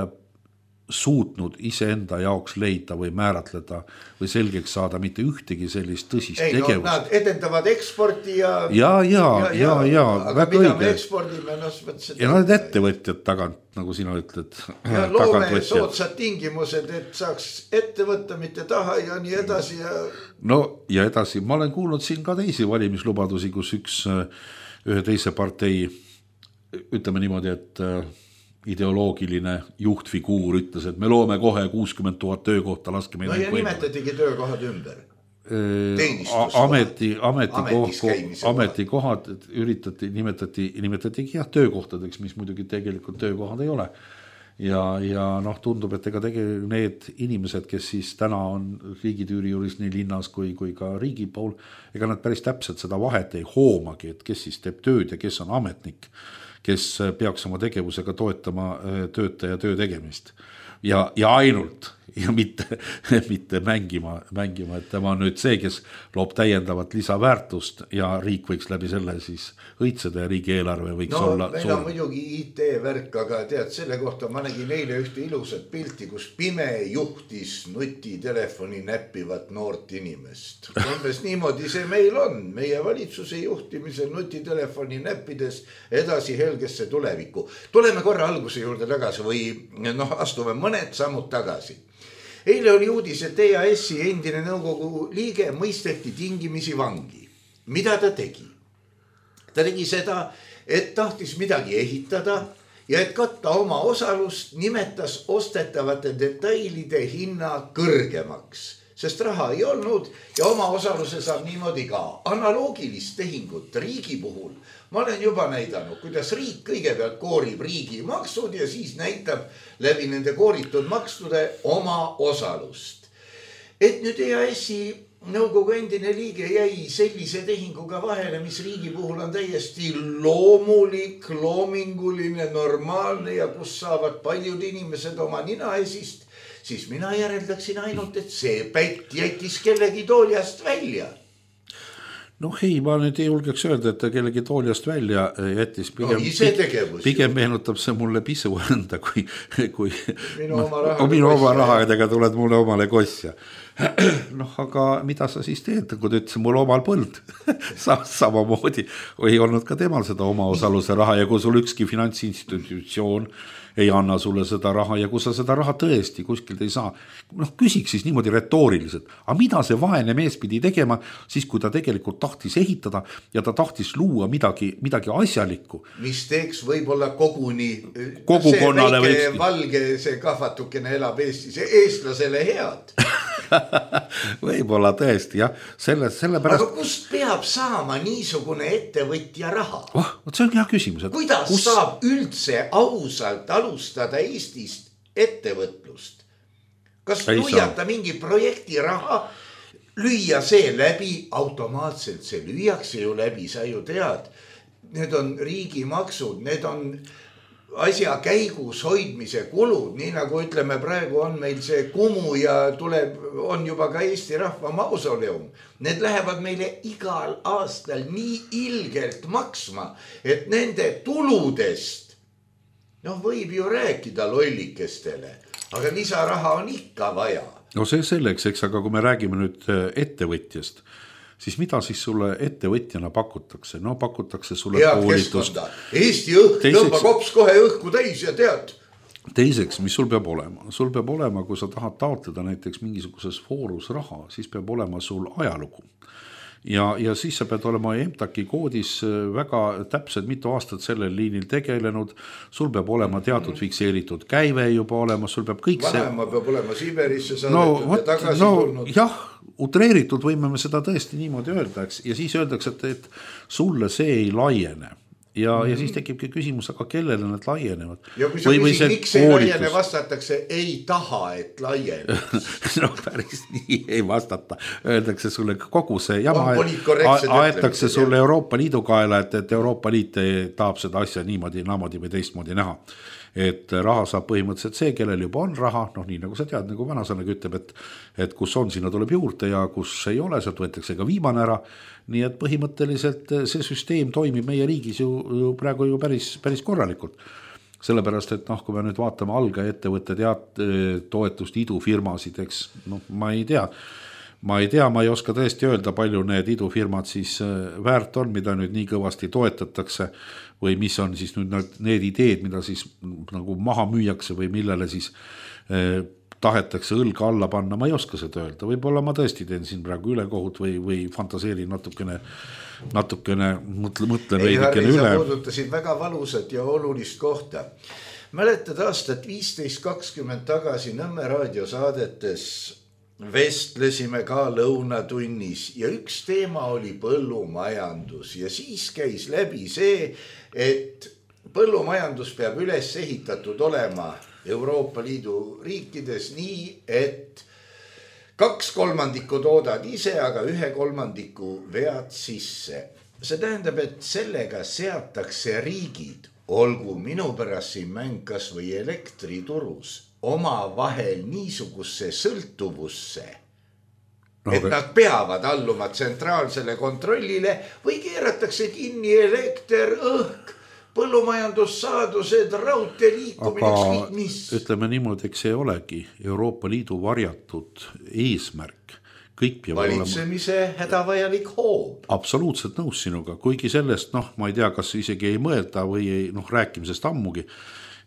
suutnud iseenda jaoks leida või määratleda või selgeks saada mitte ühtegi sellist tõsist ei, tegevust. No, nad edendavad eksporti ja ja, ja, ja, ja, ja aga mida me ekspordime, no mõtlesin. Ja nad ettevõtjad tagant, nagu sina ütled. Ja loome soodsad tingimused, et saaks ette võtta, mitte taha ja nii edasi. Ja... No ja edasi, ma olen kuulnud siin ka teisi valimislubadusi, kus üks ühe teise partei, ütleme niimoodi, et ideoloogiline juhtfiguur ütles, et me loome kohe kuuskümmend tuhat töökohta, laske meil no ja nimetatigi töökohad ümber. Ameti, ametikohad, ametikohad üritati, nimetati, nimetatigi jah, töökohtadeks, mis muidugi tegelikult töökohad ei ole. Ja, ja noh, tundub, et ega tegelikult need inimesed, kes siis täna on riigitüüri juures nii linnas kui, kui ka riigi pool, ega nad päris täpselt seda vahet ei hoomagi, et kes siis teeb tööd ja kes on ametnik, kes peaks oma tegevusega toetama töötaja töö tegemist. Ja, ja ainult ja mitte, mitte mängima, mängima, et tema on nüüd see, kes loob täiendavat lisaväärtust ja riik võiks läbi selle siis õitseda ja riigieelarve võiks no, olla meil on muidugi I T-värk, aga tead, selle kohta ma nägin eile ühte ilusat pilti, kus pime juhtis nutitelefoni näppivat noort inimest. Umbes niimoodi see meil on, meie valitsuse juhtimisel nutitelefoni näppides edasi helgesse tulevikku. Tuleme korra alguse juurde tagasi või noh, astume mõned sammud tagasi. Eile oli uudis, et E A S-i endine nõukogu liige mõisteti tingimisi vangi. Mida ta tegi? Ta tegi seda, et tahtis midagi ehitada ja et katta oma osalust, nimetas ostetavate detailide hinna kõrgemaks, sest raha ei olnud ja oma osaluse saab niimoodi ka. Analoogilist tehingut riigi puhul ma olen juba näidanud, kuidas riik kõigepealt koorib riigi maksud ja siis näitab läbi nende kooritud maksude oma osalust. Et nüüd E A S-i nõukogu endine liige jäi sellise tehinguga vahele, mis riigi puhul on täiesti loomulik, loominguline, normaalne ja kus saavad paljud inimesed oma ninaesist, siis mina järeldaksin ainult, et see pätt jättis kellegi tooljast välja. Noh ei, ma nüüd ei julgeks öelda, et ta kellegi tooljast välja jättis. Pigem, no, pigem meenutab see mulle pisu enda, kui, kui minu oma raha, minu oma rahadega tuled mulle omale kosja. Noh, aga mida sa siis teed, kui ta ütles mul omal põld? Samamoodi ei olnud ka temal seda oma osaluse raha ja kui sul ükski finantsinstitutsioon ei anna sulle seda raha ja kui sa seda raha tõesti kuskilt ei saa, noh küsiks siis niimoodi retooriliselt, aga mida see vaene mees pidi tegema, siis kui ta tegelikult tahtis ehitada ja ta tahtis luua midagi, midagi asjalikku. Mis teeks võib-olla koguni, kogukonnale see väike valge, see kahvatukene elab Eestis, eestlasele head. Võib-olla tõesti, jah. Selle, selle pärast... Aga kust peab saama niisugune ettevõtja raha? Oh, see on hea küsimus. Et kuidas kus... saab üldse ausalt alustada Eestist ettevõtlust? Kas ei lüüata saa. Mingi projekti raha, lüüa see läbi, automaatselt see lüüakse ju läbi, sa ju tead. Need on riigimaksud, need on asja käigus hoidmise kulud, nii nagu ütleme praegu on meil see Kumu ja tuleb, on juba ka Eesti rahva mausoleum. Need lähevad meile igal aastal nii ilgelt maksma, et nende tuludest, noh võib ju rääkida lollikestele, aga lisaraha on ikka vaja. No see selleks, eks, aga kui me räägime nüüd ettevõtjast, siis mida siis sulle ettevõtjana pakutakse? No pakutakse sulle head koolitust. Keskkonda. Eesti õhk, tõmba kops kohe õhku täis ja tead. Teiseks, mis sul peab olema? Sul peab olema, kui sa tahad taotleda näiteks mingisuguses foorus raha, siis peab olema sul ajalugu. Ja, ja siis sa pead olema E M T A K-i koodis väga täpselt mitu aastat sellel liinil tegelenud, sul peab olema teatud fikseeritud käive juba olema, sul peab kõik see... Vanema peab olema Siberisse saadetud no, ja tagasi no, tulnud. Jah, utreeritud võime me seda tõesti niimoodi öeldaks ja siis öeldaks, et, et sulle see ei laiene. Ja, mm-hmm. ja siis tekibki küsimus, aga kellele need laienevad? Ja kui sa küsid, miks ei laiene, vastatakse, ei taha, et laiene. No päris nii ei vastata. Öeldakse sulle kogu see jama, aetakse sulle Euroopa Liidu kaela, et, et Euroopa Liit tahab seda asja niimoodi, naamodi või teistmoodi näha. Et raha saab põhimõtteliselt see, kellel juba on raha, noh nii nagu sa tead, nagu vanasõnagi ütleb, et, et kus on, sinna tuleb juurde ja kus ei ole, sealt võetakse ka viimane ära. Nii et põhimõtteliselt see süsteem toimib meie riigis ju, ju praegu ju päris, päris korralikult. sellepärast, et noh, kui me nüüd vaatame algaettevõtte teat, toetust idufirmasid, eks noh, ma ei tea, ma ei tea, ma ei oska tõesti öelda, palju need idufirmad siis väärt on, mida nüüd nii kõvasti toetatakse või mis on siis nüüd need ideed, mida siis nagu maha müüakse või millele siis eh, tahetakse õlga alla panna, ma ei oska seda öelda, võib-olla ma tõesti teen siin praegu ülekohut või, või fantaseerin natukene, natukene mõtle, mõtlen ei, veidikene üle. üle. Sa puudutasid väga valusat ja olulist kohta. Mäletad aastat viisteist kakskümmend tagasi Nõmme raadiosaadetes vestlesime ka lõunatunnis ja üks teema oli põllumajandus ja siis käis läbi see, et põllumajandus peab üles ehitatud olema Euroopa Liidu riikides nii, et kaks kolmandikku toodad ise, aga ühe kolmandiku vead sisse. See tähendab, et sellega seatakse riigid, olgu minu pärast siin mäng kas või elektriturus, oma vahel niisugusse sõltuvusse, no, et nad peavad alluma tsentraalsele kontrollile või keeratakse kinni elekter, õhk, põllumajandussaadused, raudtee liikumine, aga mis. Ütleme niimoodi, eks see olegi Euroopa Liidu varjatud eesmärk. Kõik peab valitsemise olema hädavajalik hoob. Absoluutselt nõus sinuga, kuigi sellest, noh, ma ei tea, kas isegi ei mõelda või ei, noh, rääkimisest ammugi,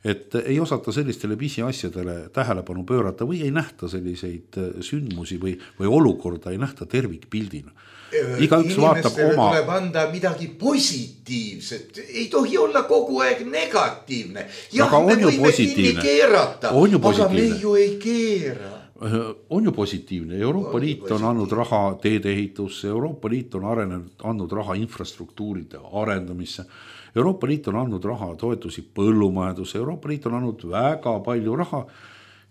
et ei osata sellistele pisiasjadele tähelepanu pöörata või ei nähta selliseid sündmusi või, või olukorda ei nähta tervikpildina. Igaüks vaatab oma. Tuleb anda midagi positiivset, ei tohi olla kogu aeg negatiivne. Jah, aga me võime kinni keerata, aga me ju ei keera. On ju positiivne, Euroopa on Liit on andnud raha teedeehitusse, Euroopa Liit on arenenud, andnud raha infrastruktuuride arendamisse, Euroopa Liit on andnud raha toetusi põllumajandusse, Euroopa Liit on andnud väga palju raha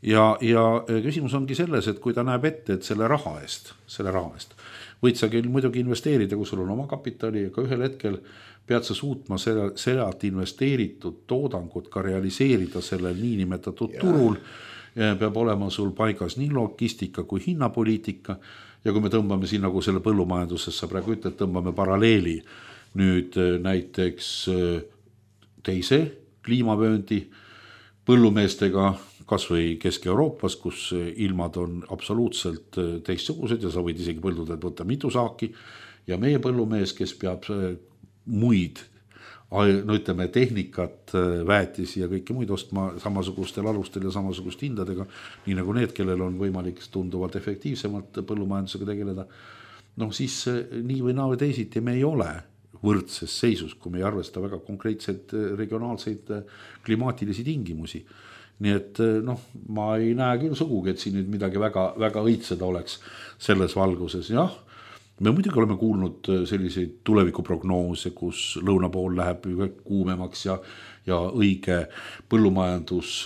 ja, ja küsimus ongi selles, et kui ta näeb ette, et selle raha eest, selle raha eest võid sa küll muidugi investeerida, kui sul on oma kapitali, aga ühel hetkel pead sa suutma sealt investeeritud toodangut ka realiseerida sellel niinimetatud ja. Turul. Peab olema sul paigas nii logistika kui hinnapoliitika ja kui me tõmbame siin nagu selle põllumajanduses, sa praegu ütled, tõmbame paralleeli nüüd näiteks teise kliimavööndi põllumeestega, kas või Kesk-Euroopas, kus ilmad on absoluutselt teistsugused ja sa võid isegi põldudelt võtta mitu saaki ja meie põllumees, kes peab muid, no ütleme tehnikat, väetisi ja kõike muid ostma samasugustel alustel ja samasugust hindadega, nii nagu need, kellel on võimalik tunduvalt efektiivsemalt põllumajandusega tegeleda, noh siis nii või naa või teisiti me ei ole võrdses seisus, kui me ei arvesta väga konkreetseid regionaalseid klimaatilisi tingimusi. Nii et noh, ma ei näe küll sugugi, et siin nüüd midagi väga, väga õitseda oleks selles valguses. Jah, me muidugi oleme kuulnud selliseid tulevikuprognoose, kus lõuna pool läheb kuumemaks ja, ja õige põllumajandus,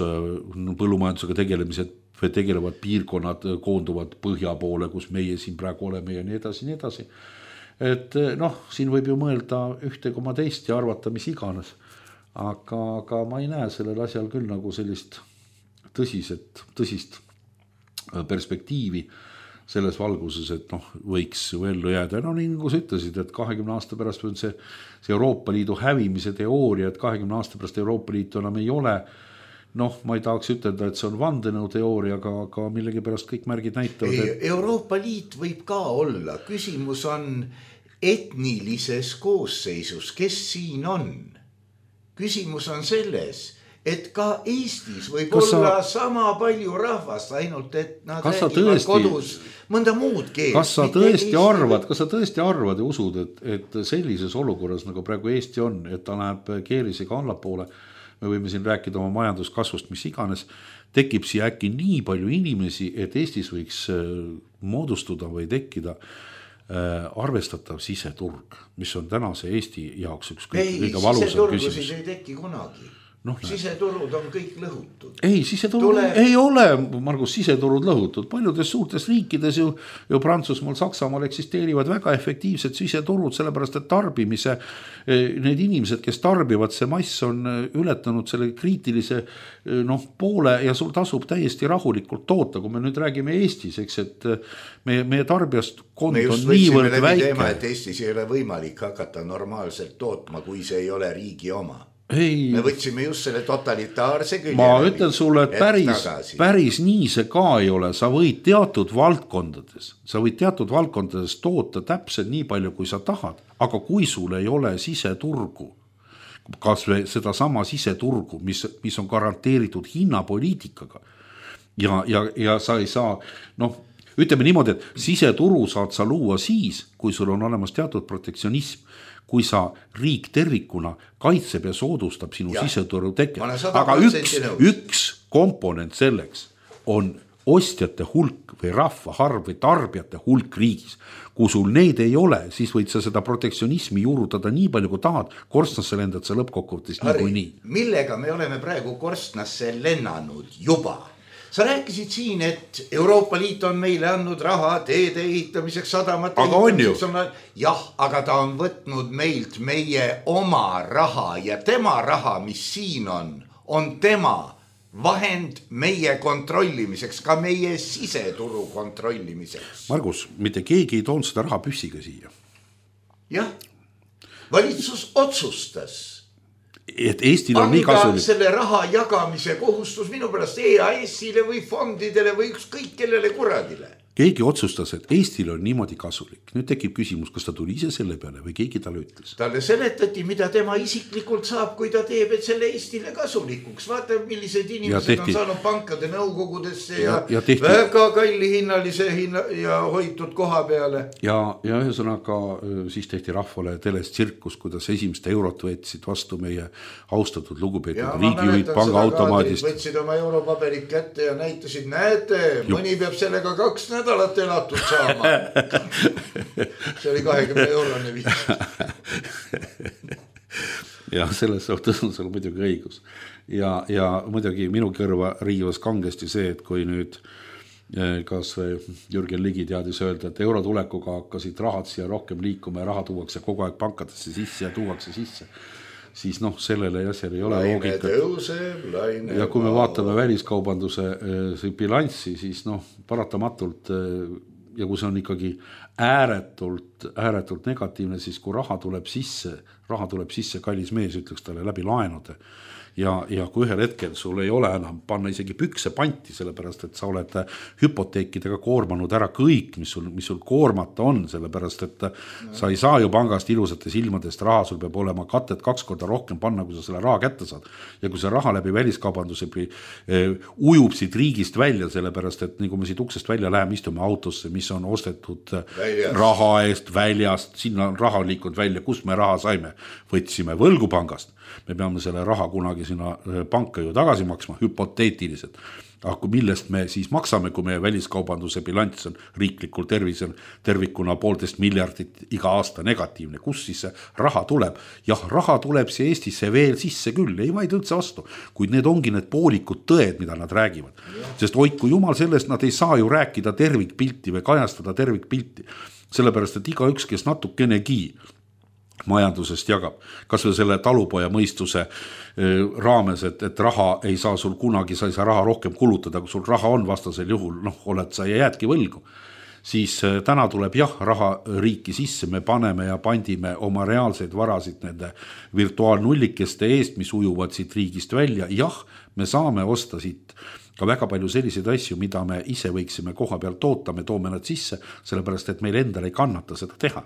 põllumajandusega tegelemised või tegelevad piirkonnad koonduvad põhja poole, kus meie siin praegu oleme ja nii edasi, nii edasi. Et noh, siin võib ju mõelda ühte koma teist ja arvata, mis iganes. Aga, aga ma ei näe sellel asjal küll nagu sellist tõsiset, tõsist perspektiivi selles valguses, et noh, võiks ju ellu jääda. No nii nagu sa ütlesid, et kahekümne aasta pärast on see, see Euroopa Liidu hävimise teooria, et kahekümne aasta pärast Euroopa Liitu enam ei ole. Noh, ma ei tahaks ütelda, et see on vandenõu teooria, aga, aga millegi pärast kõik märgid näitavad. Et... Euroopa Liit võib ka olla. Küsimus on etnilises koosseisus, kes siin on. Küsimus on selles, et ka Eestis võib kas olla sa... sama palju rahvast, ainult et nad räägivad tõesti... kodus mõnda muud keelt. Kas sa tõesti Eesti... arvad, kas sa tõesti arvad ja usud, et, et sellises olukorras, nagu praegu Eesti on, et ta läheb keerisega allapoole, me võime siin rääkida oma majanduskasvust, mis iganes, tekib siia äkki nii palju inimesi, et Eestis võiks moodustuda või tekkida arvestatav siseturg, mis on tänase Eesti jaoks üks kõige valusam küsimus. Siseturgusid ei teki kunagi. No, siseturud on kõik lõhutud. Ei, siseturud Tule... ei ole, Margus, siseturud lõhutud. Paljudes suurtes riikides ju, ju Prantsusmaal, Saksamaal eksisteerivad väga efektiivsed siseturud, sellepärast et tarbimise, need inimesed, kes tarbivad, see mass on ületanud selle kriitilise noh, poole ja sul tasub täiesti rahulikult toota. Kui me nüüd räägime Eestis, eks, et meie, meie tarbijast kond on niivõrd väike. Teema, et Eestis ei ole võimalik hakata normaalselt tootma, kui see ei ole riigi oma. Ei, me võtsime just selle totalitaarse külje. Ma ütlen sulle, et päris, päris nii see ka ei ole. Sa võid teatud valdkondades, sa võid teatud valdkondades toota täpselt nii palju, kui sa tahad, aga kui sul ei ole siseturgu, kas või seda sama siseturgu, mis, mis on garanteeritud hinnapoliitikaga ja, ja, ja sa ei saa, noh, ütleme niimoodi, et siseturu saad sa luua siis, kui sul on olemas teatud protektsionism, kui sa riik tervikuna kaitseb ja soodustab sinu ja. siseturu teket. Aga üks, üks komponent selleks on ostjate hulk või rahva harv või tarbijate hulk riigis. Kui sul neid ei ole, siis võid sa seda protektsionismi juurutada nii palju kui tahad, korstnasse lendad sa lõppkokkuvõttes nii kui nii. Millega me oleme praegu korstnasse lennanud juba? Sa rääkisid siin, et Euroopa Liit on meile andnud raha teede ehitamiseks, sadamate aga ehitamiseks. On, jah, aga ta on võtnud meilt meie oma raha ja tema raha, mis siin on, on tema vahend meie kontrollimiseks, ka meie siseturu kontrollimiseks. Margus, mitte keegi ei toonud seda raha püssiga siia. Jah, valitsus otsustas. Et Eestil on nii kasulik. Selle raha jagamise kohustus minu pärast E A S-ile või fondidele või ükskõik kellele kuradile. Keegi otsustas, et Eestil on niimoodi kasulik. Nüüd tekib küsimus, kas ta tuli ise selle peale või keegi talle ütles. Talle seletati, mida tema isiklikult saab, kui ta teeb, et selle Eestile kasulikuks. Vaata, millised inimesed on saanud pankade nõukogudesse ja, ja, ja väga kalli hinnalise hinna ja hoitud koha peale. Ja, ja ühesõnaga siis tehti rahvale telest tsirkus, kuidas esimest eurot võtsid vastu meie austatud lugupeetud riigijuhid panga automaadist. Võtsid oma europaberid kätte ja näitasid, näete, mõni peab sellega kaks nädalat nädalat elatud saama. See oli kahekümne eurone viis. Ja selles suhtes on sul muidugi õigus. Ja, ja muidugi minu kõrva riivas kangesti see, et kui nüüd kas Jürgen Ligi teadis öelda, et eurotulekuga hakkasid rahad siia rohkem liikuma ja raha tuuakse kogu aeg pankadesse sisse ja tuuakse sisse, siis noh, sellele asjal ei ole loogika. Ja kui me vaatame väliskaubanduse äh, bilanssi, siis noh, paratamatult äh, ja kui see on ikkagi ääretult, ääretult negatiivne, siis kui raha tuleb sisse, raha tuleb sisse, kallis mees ütleks talle läbi laenude. Ja, ja kui ühel hetkel sul ei ole enam panna isegi pükse panti, sellepärast, et sa oled hüpoteekidega koormanud ära kõik, mis sul, mis sul koormata on, sellepärast, et no. Sa ei saa ju pangast ilusates ilmadest raha, sul peab olema katet kaks korda rohkem panna, kui sa selle raha kätte saad. Ja kui see raha läbi väliskaubanduse eh, ujub siit riigist välja, sellepärast, et nii kui me siit uksest välja läheme, istume autosse, mis on ostetud väljast. Raha eest väljast, sinna on raha liikunud välja, kus me raha saime, võtsime võlgupangast. Me peame selle raha kunagi sinna panka ju tagasi maksma, hüpoteetiliselt. Aga millest me siis maksame, kui meie väliskaubanduse bilanss on riiklikul tervisel tervikuna poolteist miljardit iga aasta negatiivne. Kus siis see raha tuleb? Jah, raha tuleb see Eestisse veel sisse küll, ei vaid üldse vastu. Kuid need ongi need poolikud tõed, mida nad räägivad. Sest hoidku jumal sellest, nad ei saa ju rääkida tervikpilti või kajastada tervikpilti. Sellepärast, et iga üks, kes natukenegi majandusest jagab, kas või selle talupoja mõistuse raames, et, et raha ei saa sul kunagi, sa ei saa raha rohkem kulutada, kui sul raha on vastasel juhul, noh, oled sa ja jäädki võlgu. Siis täna tuleb jah, raha riiki sisse, me paneme ja pandime oma reaalseid varasid nende virtuaalnullikeste eest, mis ujuvad siit riigist välja. Jah, me saame osta siit ka väga palju selliseid asju, mida me ise võiksime koha peal toota, me toome nad sisse, sellepärast, et meil endal ei kannata seda teha.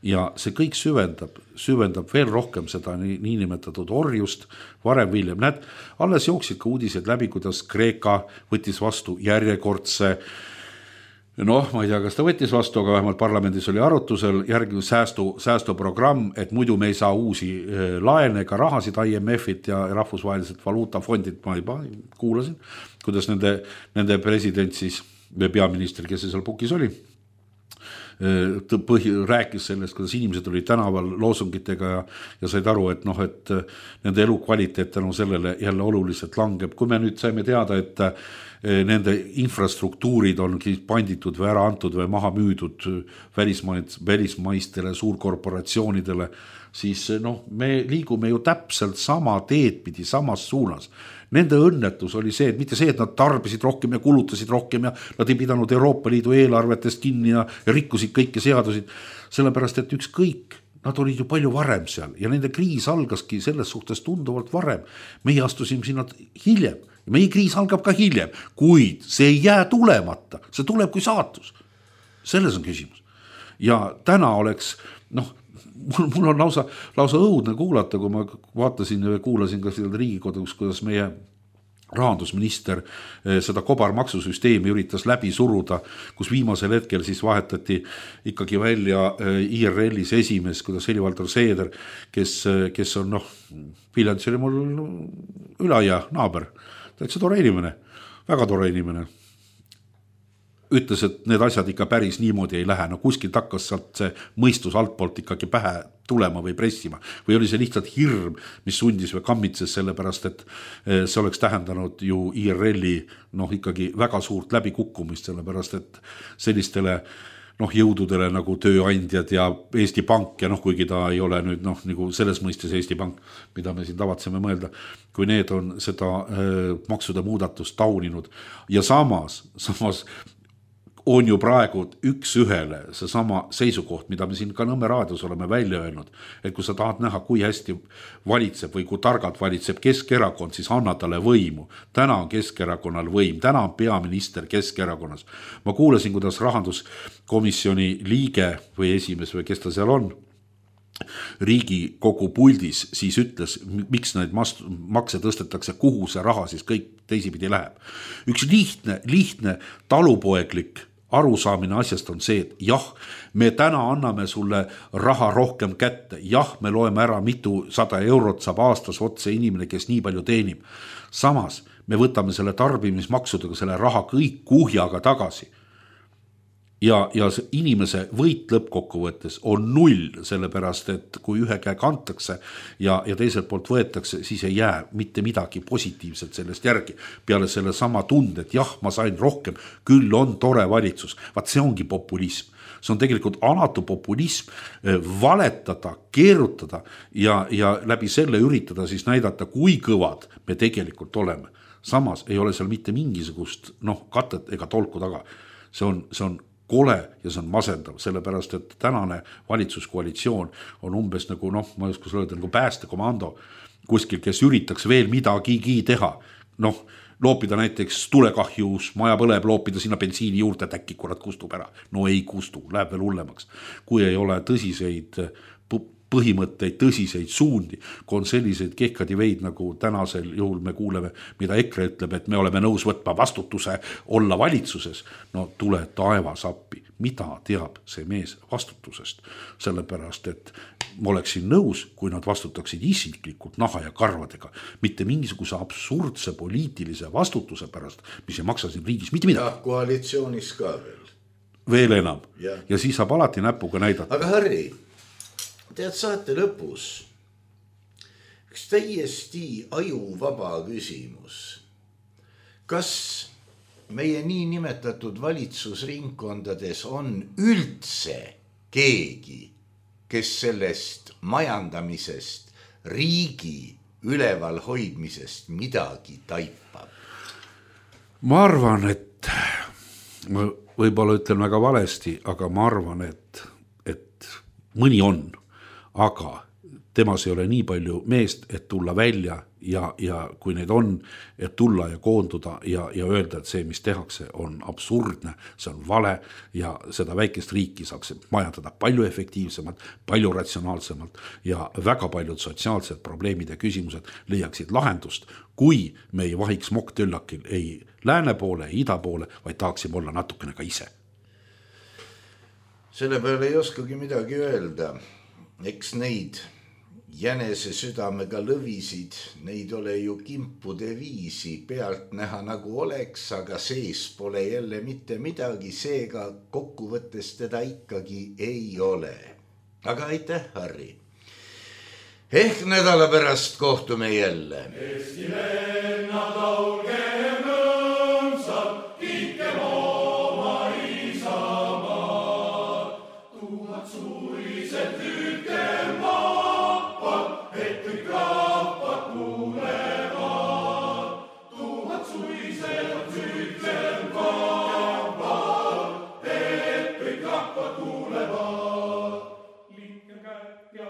Ja see kõik süvendab, süvendab veel rohkem seda nii, niinimetatud orjust, varem viljem. Näed, alles jooksid ka uudised läbi, kuidas Kreeka võttis vastu järjekordse, noh, ma ei tea, kas ta võttis vastu, aga vähemalt parlamendis oli arutusel järgi säästu, säästuprogramm, et muidu me ei saa uusi laene ega rahasid I M F-it ja rahvusvahelised valuutafondid, ma juba kuulasin, kuidas nende, nende president siis, või peaminister, kes seal pukis oli, põhi, rääkis sellest, kuidas inimesed olid tänaval loosungitega ja, ja said aru, et noh, et nende elukvaliteet tänu sellele jälle oluliselt langeb. Kui me nüüd saime teada, et nende infrastruktuurid on panditud või ära antud või maha müüdud välismaist, välismaistele suurkorporatsioonidele, siis noh, me liigume ju täpselt sama teed pidi, samas suunas. Nende õnnetus oli see, et mitte see, et nad tarbisid rohkem ja kulutasid rohkem ja nad ei pidanud Euroopa Liidu eelarvetest kinni ja, ja rikkusid kõiki seadusid, sellepärast, et ükskõik nad olid ju palju varem seal ja nende kriis algaski selles suhtes tunduvalt varem. Meie astusime sinna hiljem ja meie kriis algab ka hiljem, kuid see ei jää tulemata, see tuleb kui saatus. Selles on küsimus. Ja täna oleks, noh, mul, mul on lausa, lausa õudne kuulata, kui ma vaatasin ja kuulasin ka seal Riigikogus, kuidas meie rahandusminister seda kobarmaksusüsteemi üritas läbi suruda, kus viimasel hetkel siis vahetati ikkagi välja I R L-is esimees, kuidas Heli-Valdur Seeder, kes, kes on, noh, Viljandis oli mul ülaia naaber, täitsa tore inimene, väga tore inimene. Ütles, et need asjad ikka päris niimoodi ei lähe, no kuskilt hakkas sealt see mõistus altpoolt ikkagi pähe tulema või pressima või oli see lihtsalt hirm, mis sundis või kammitses sellepärast, et see oleks tähendanud ju I R L-i noh, ikkagi väga suurt läbikukkumist, sellepärast, et sellistele noh, jõududele nagu tööandjad ja Eesti Pank ja noh, kuigi ta ei ole nüüd noh, nagu selles mõistes Eesti Pank, mida me siin tavatseme mõelda, kui need on seda äh, maksude muudatust tauninud ja samas, samas on ju praegu üks ühele see sama seisukoht, mida me siin ka Nõmme raadios oleme välja öelnud, et kui sa tahad näha, kui hästi valitseb või kui targalt valitseb Keskerakond, siis anna talle võimu. Täna on Keskerakonnal võim, täna on peaminister Keskerakonnas. Ma kuulasin, kuidas rahanduskomisjoni liige või esimees või kes ta seal on, Riigikogu puldis siis ütles, miks neid makse tõstetakse, kuhu see raha siis kõik teisipidi läheb. Üks lihtne, lihtne talupoeglik arusaamine asjast on see, et jah, me täna anname sulle raha rohkem kätte, jah, me loeme ära mitu sada eurot saab aastas otse inimene, kes nii palju teenib. Samas me võtame selle tarbimismaksudega selle raha kõik kuhjaga tagasi. Ja, ja inimese võit lõppkokkuvõttes on null, sellepärast, et kui ühe käe kantakse ja, ja teiselt poolt võetakse, siis ei jää mitte midagi positiivset sellest järgi. Peale selle sama tunde, et jah, ma sain rohkem, küll on tore valitsus. Vaat see ongi populism. See on tegelikult alatu populism, valetada, keerutada ja, ja läbi selle üritada siis näidata, kui kõvad me tegelikult oleme. Samas ei ole seal mitte mingisugust noh, katet ega tolku taga. See on, see on kole ja see on masendav, sellepärast, et tänane valitsuskoalitsioon on umbes nagu, noh, ma ei oska öelda, nagu päästekomando kuskil, kes üritaks veel midagigi teha. Noh, loopida näiteks tulekahjus, maja põleb, loopida sinna bensiini juurde, et äkki kurat kustub ära. No ei kustu, läheb veel hullemaks. Kui ei ole tõsiseid põhimõtteid, tõsiseid suundi, kui on selliseid kehkadi veid, nagu tänasel juhul me kuuleme, mida EKRE ütleb, et me oleme nõus võtma vastutuse olla valitsuses. No tule taevas appi. Mida teab see mees vastutusest? Sellepärast, et ma oleksin nõus, kui nad vastutaksid isiklikult naha ja karvadega, mitte mingisuguse absurdse poliitilise vastutuse pärast, mis ei maksa siin riigis mitte midagi. Ja koalitsioonis ka veel. Veel enam. Ja, ja siis saab alati näpuga näidata. Aga Harri, tead saate lõpus üks täiesti ajuvaba küsimus. Kas meie nii nimetatud valitsusringkondades on üldse keegi, kes sellest majandamisest, riigi üleval hoidmisest midagi taipab? Ma arvan, et ma võib-olla ütlen väga valesti, aga ma arvan, et, et mõni on. Aga temas ei ole nii palju meest, et tulla välja ja, ja kui neid on, et tulla ja koonduda ja, ja öelda, et see, mis tehakse, on absurdne, see on vale ja seda väikest riiki saaks majandada palju efektiivsemalt, palju ratsionaalsemalt ja väga paljud sotsiaalsed probleemid ja küsimused leiaksid lahendust, kui me ei vahiks mokktöllakil ei lääne poole, ida poole, vaid tahaksime olla natukene ka ise. Selle peale ei oskagi midagi öelda. Eks neid jänese südamega lõvisid, neid ole ju kimpude viisi, pealt näha nagu oleks, aga sees pole jälle mitte midagi, seega kokkuvõttes teda ikkagi ei ole. Aga aitäh, Harri. Ehk nädala pärast kohtume jälle. Eesti lennad laulgem õmsad, kiitkem oma isamaad, tuhat suiset hüüdkem vapad, et kõik rahvad kuulevad. Tuhat suiset hüüdkem vapad, et kõik rahvad kuulevad. Liikkem kätt ja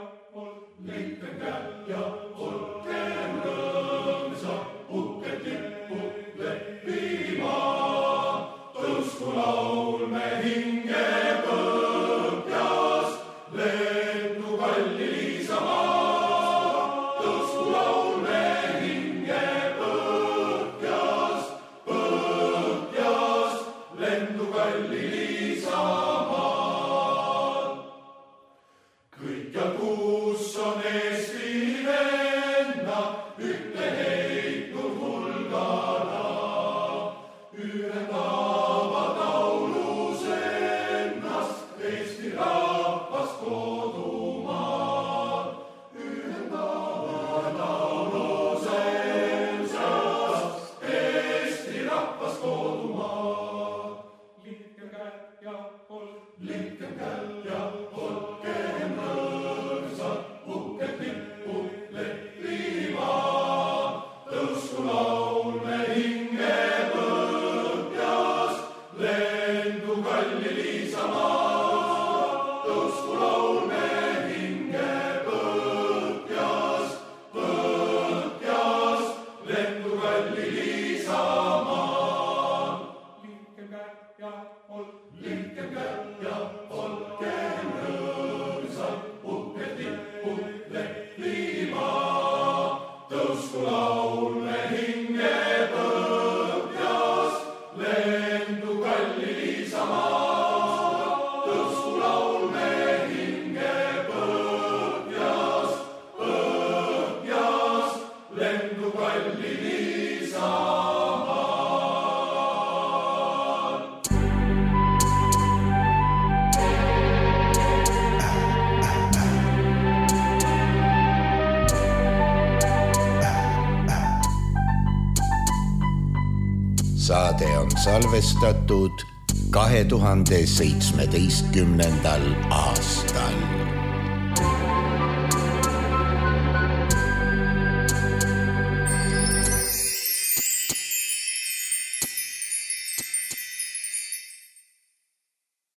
Saade on salvestatud kahe tuhande seitsmeteistkümnendal aastal.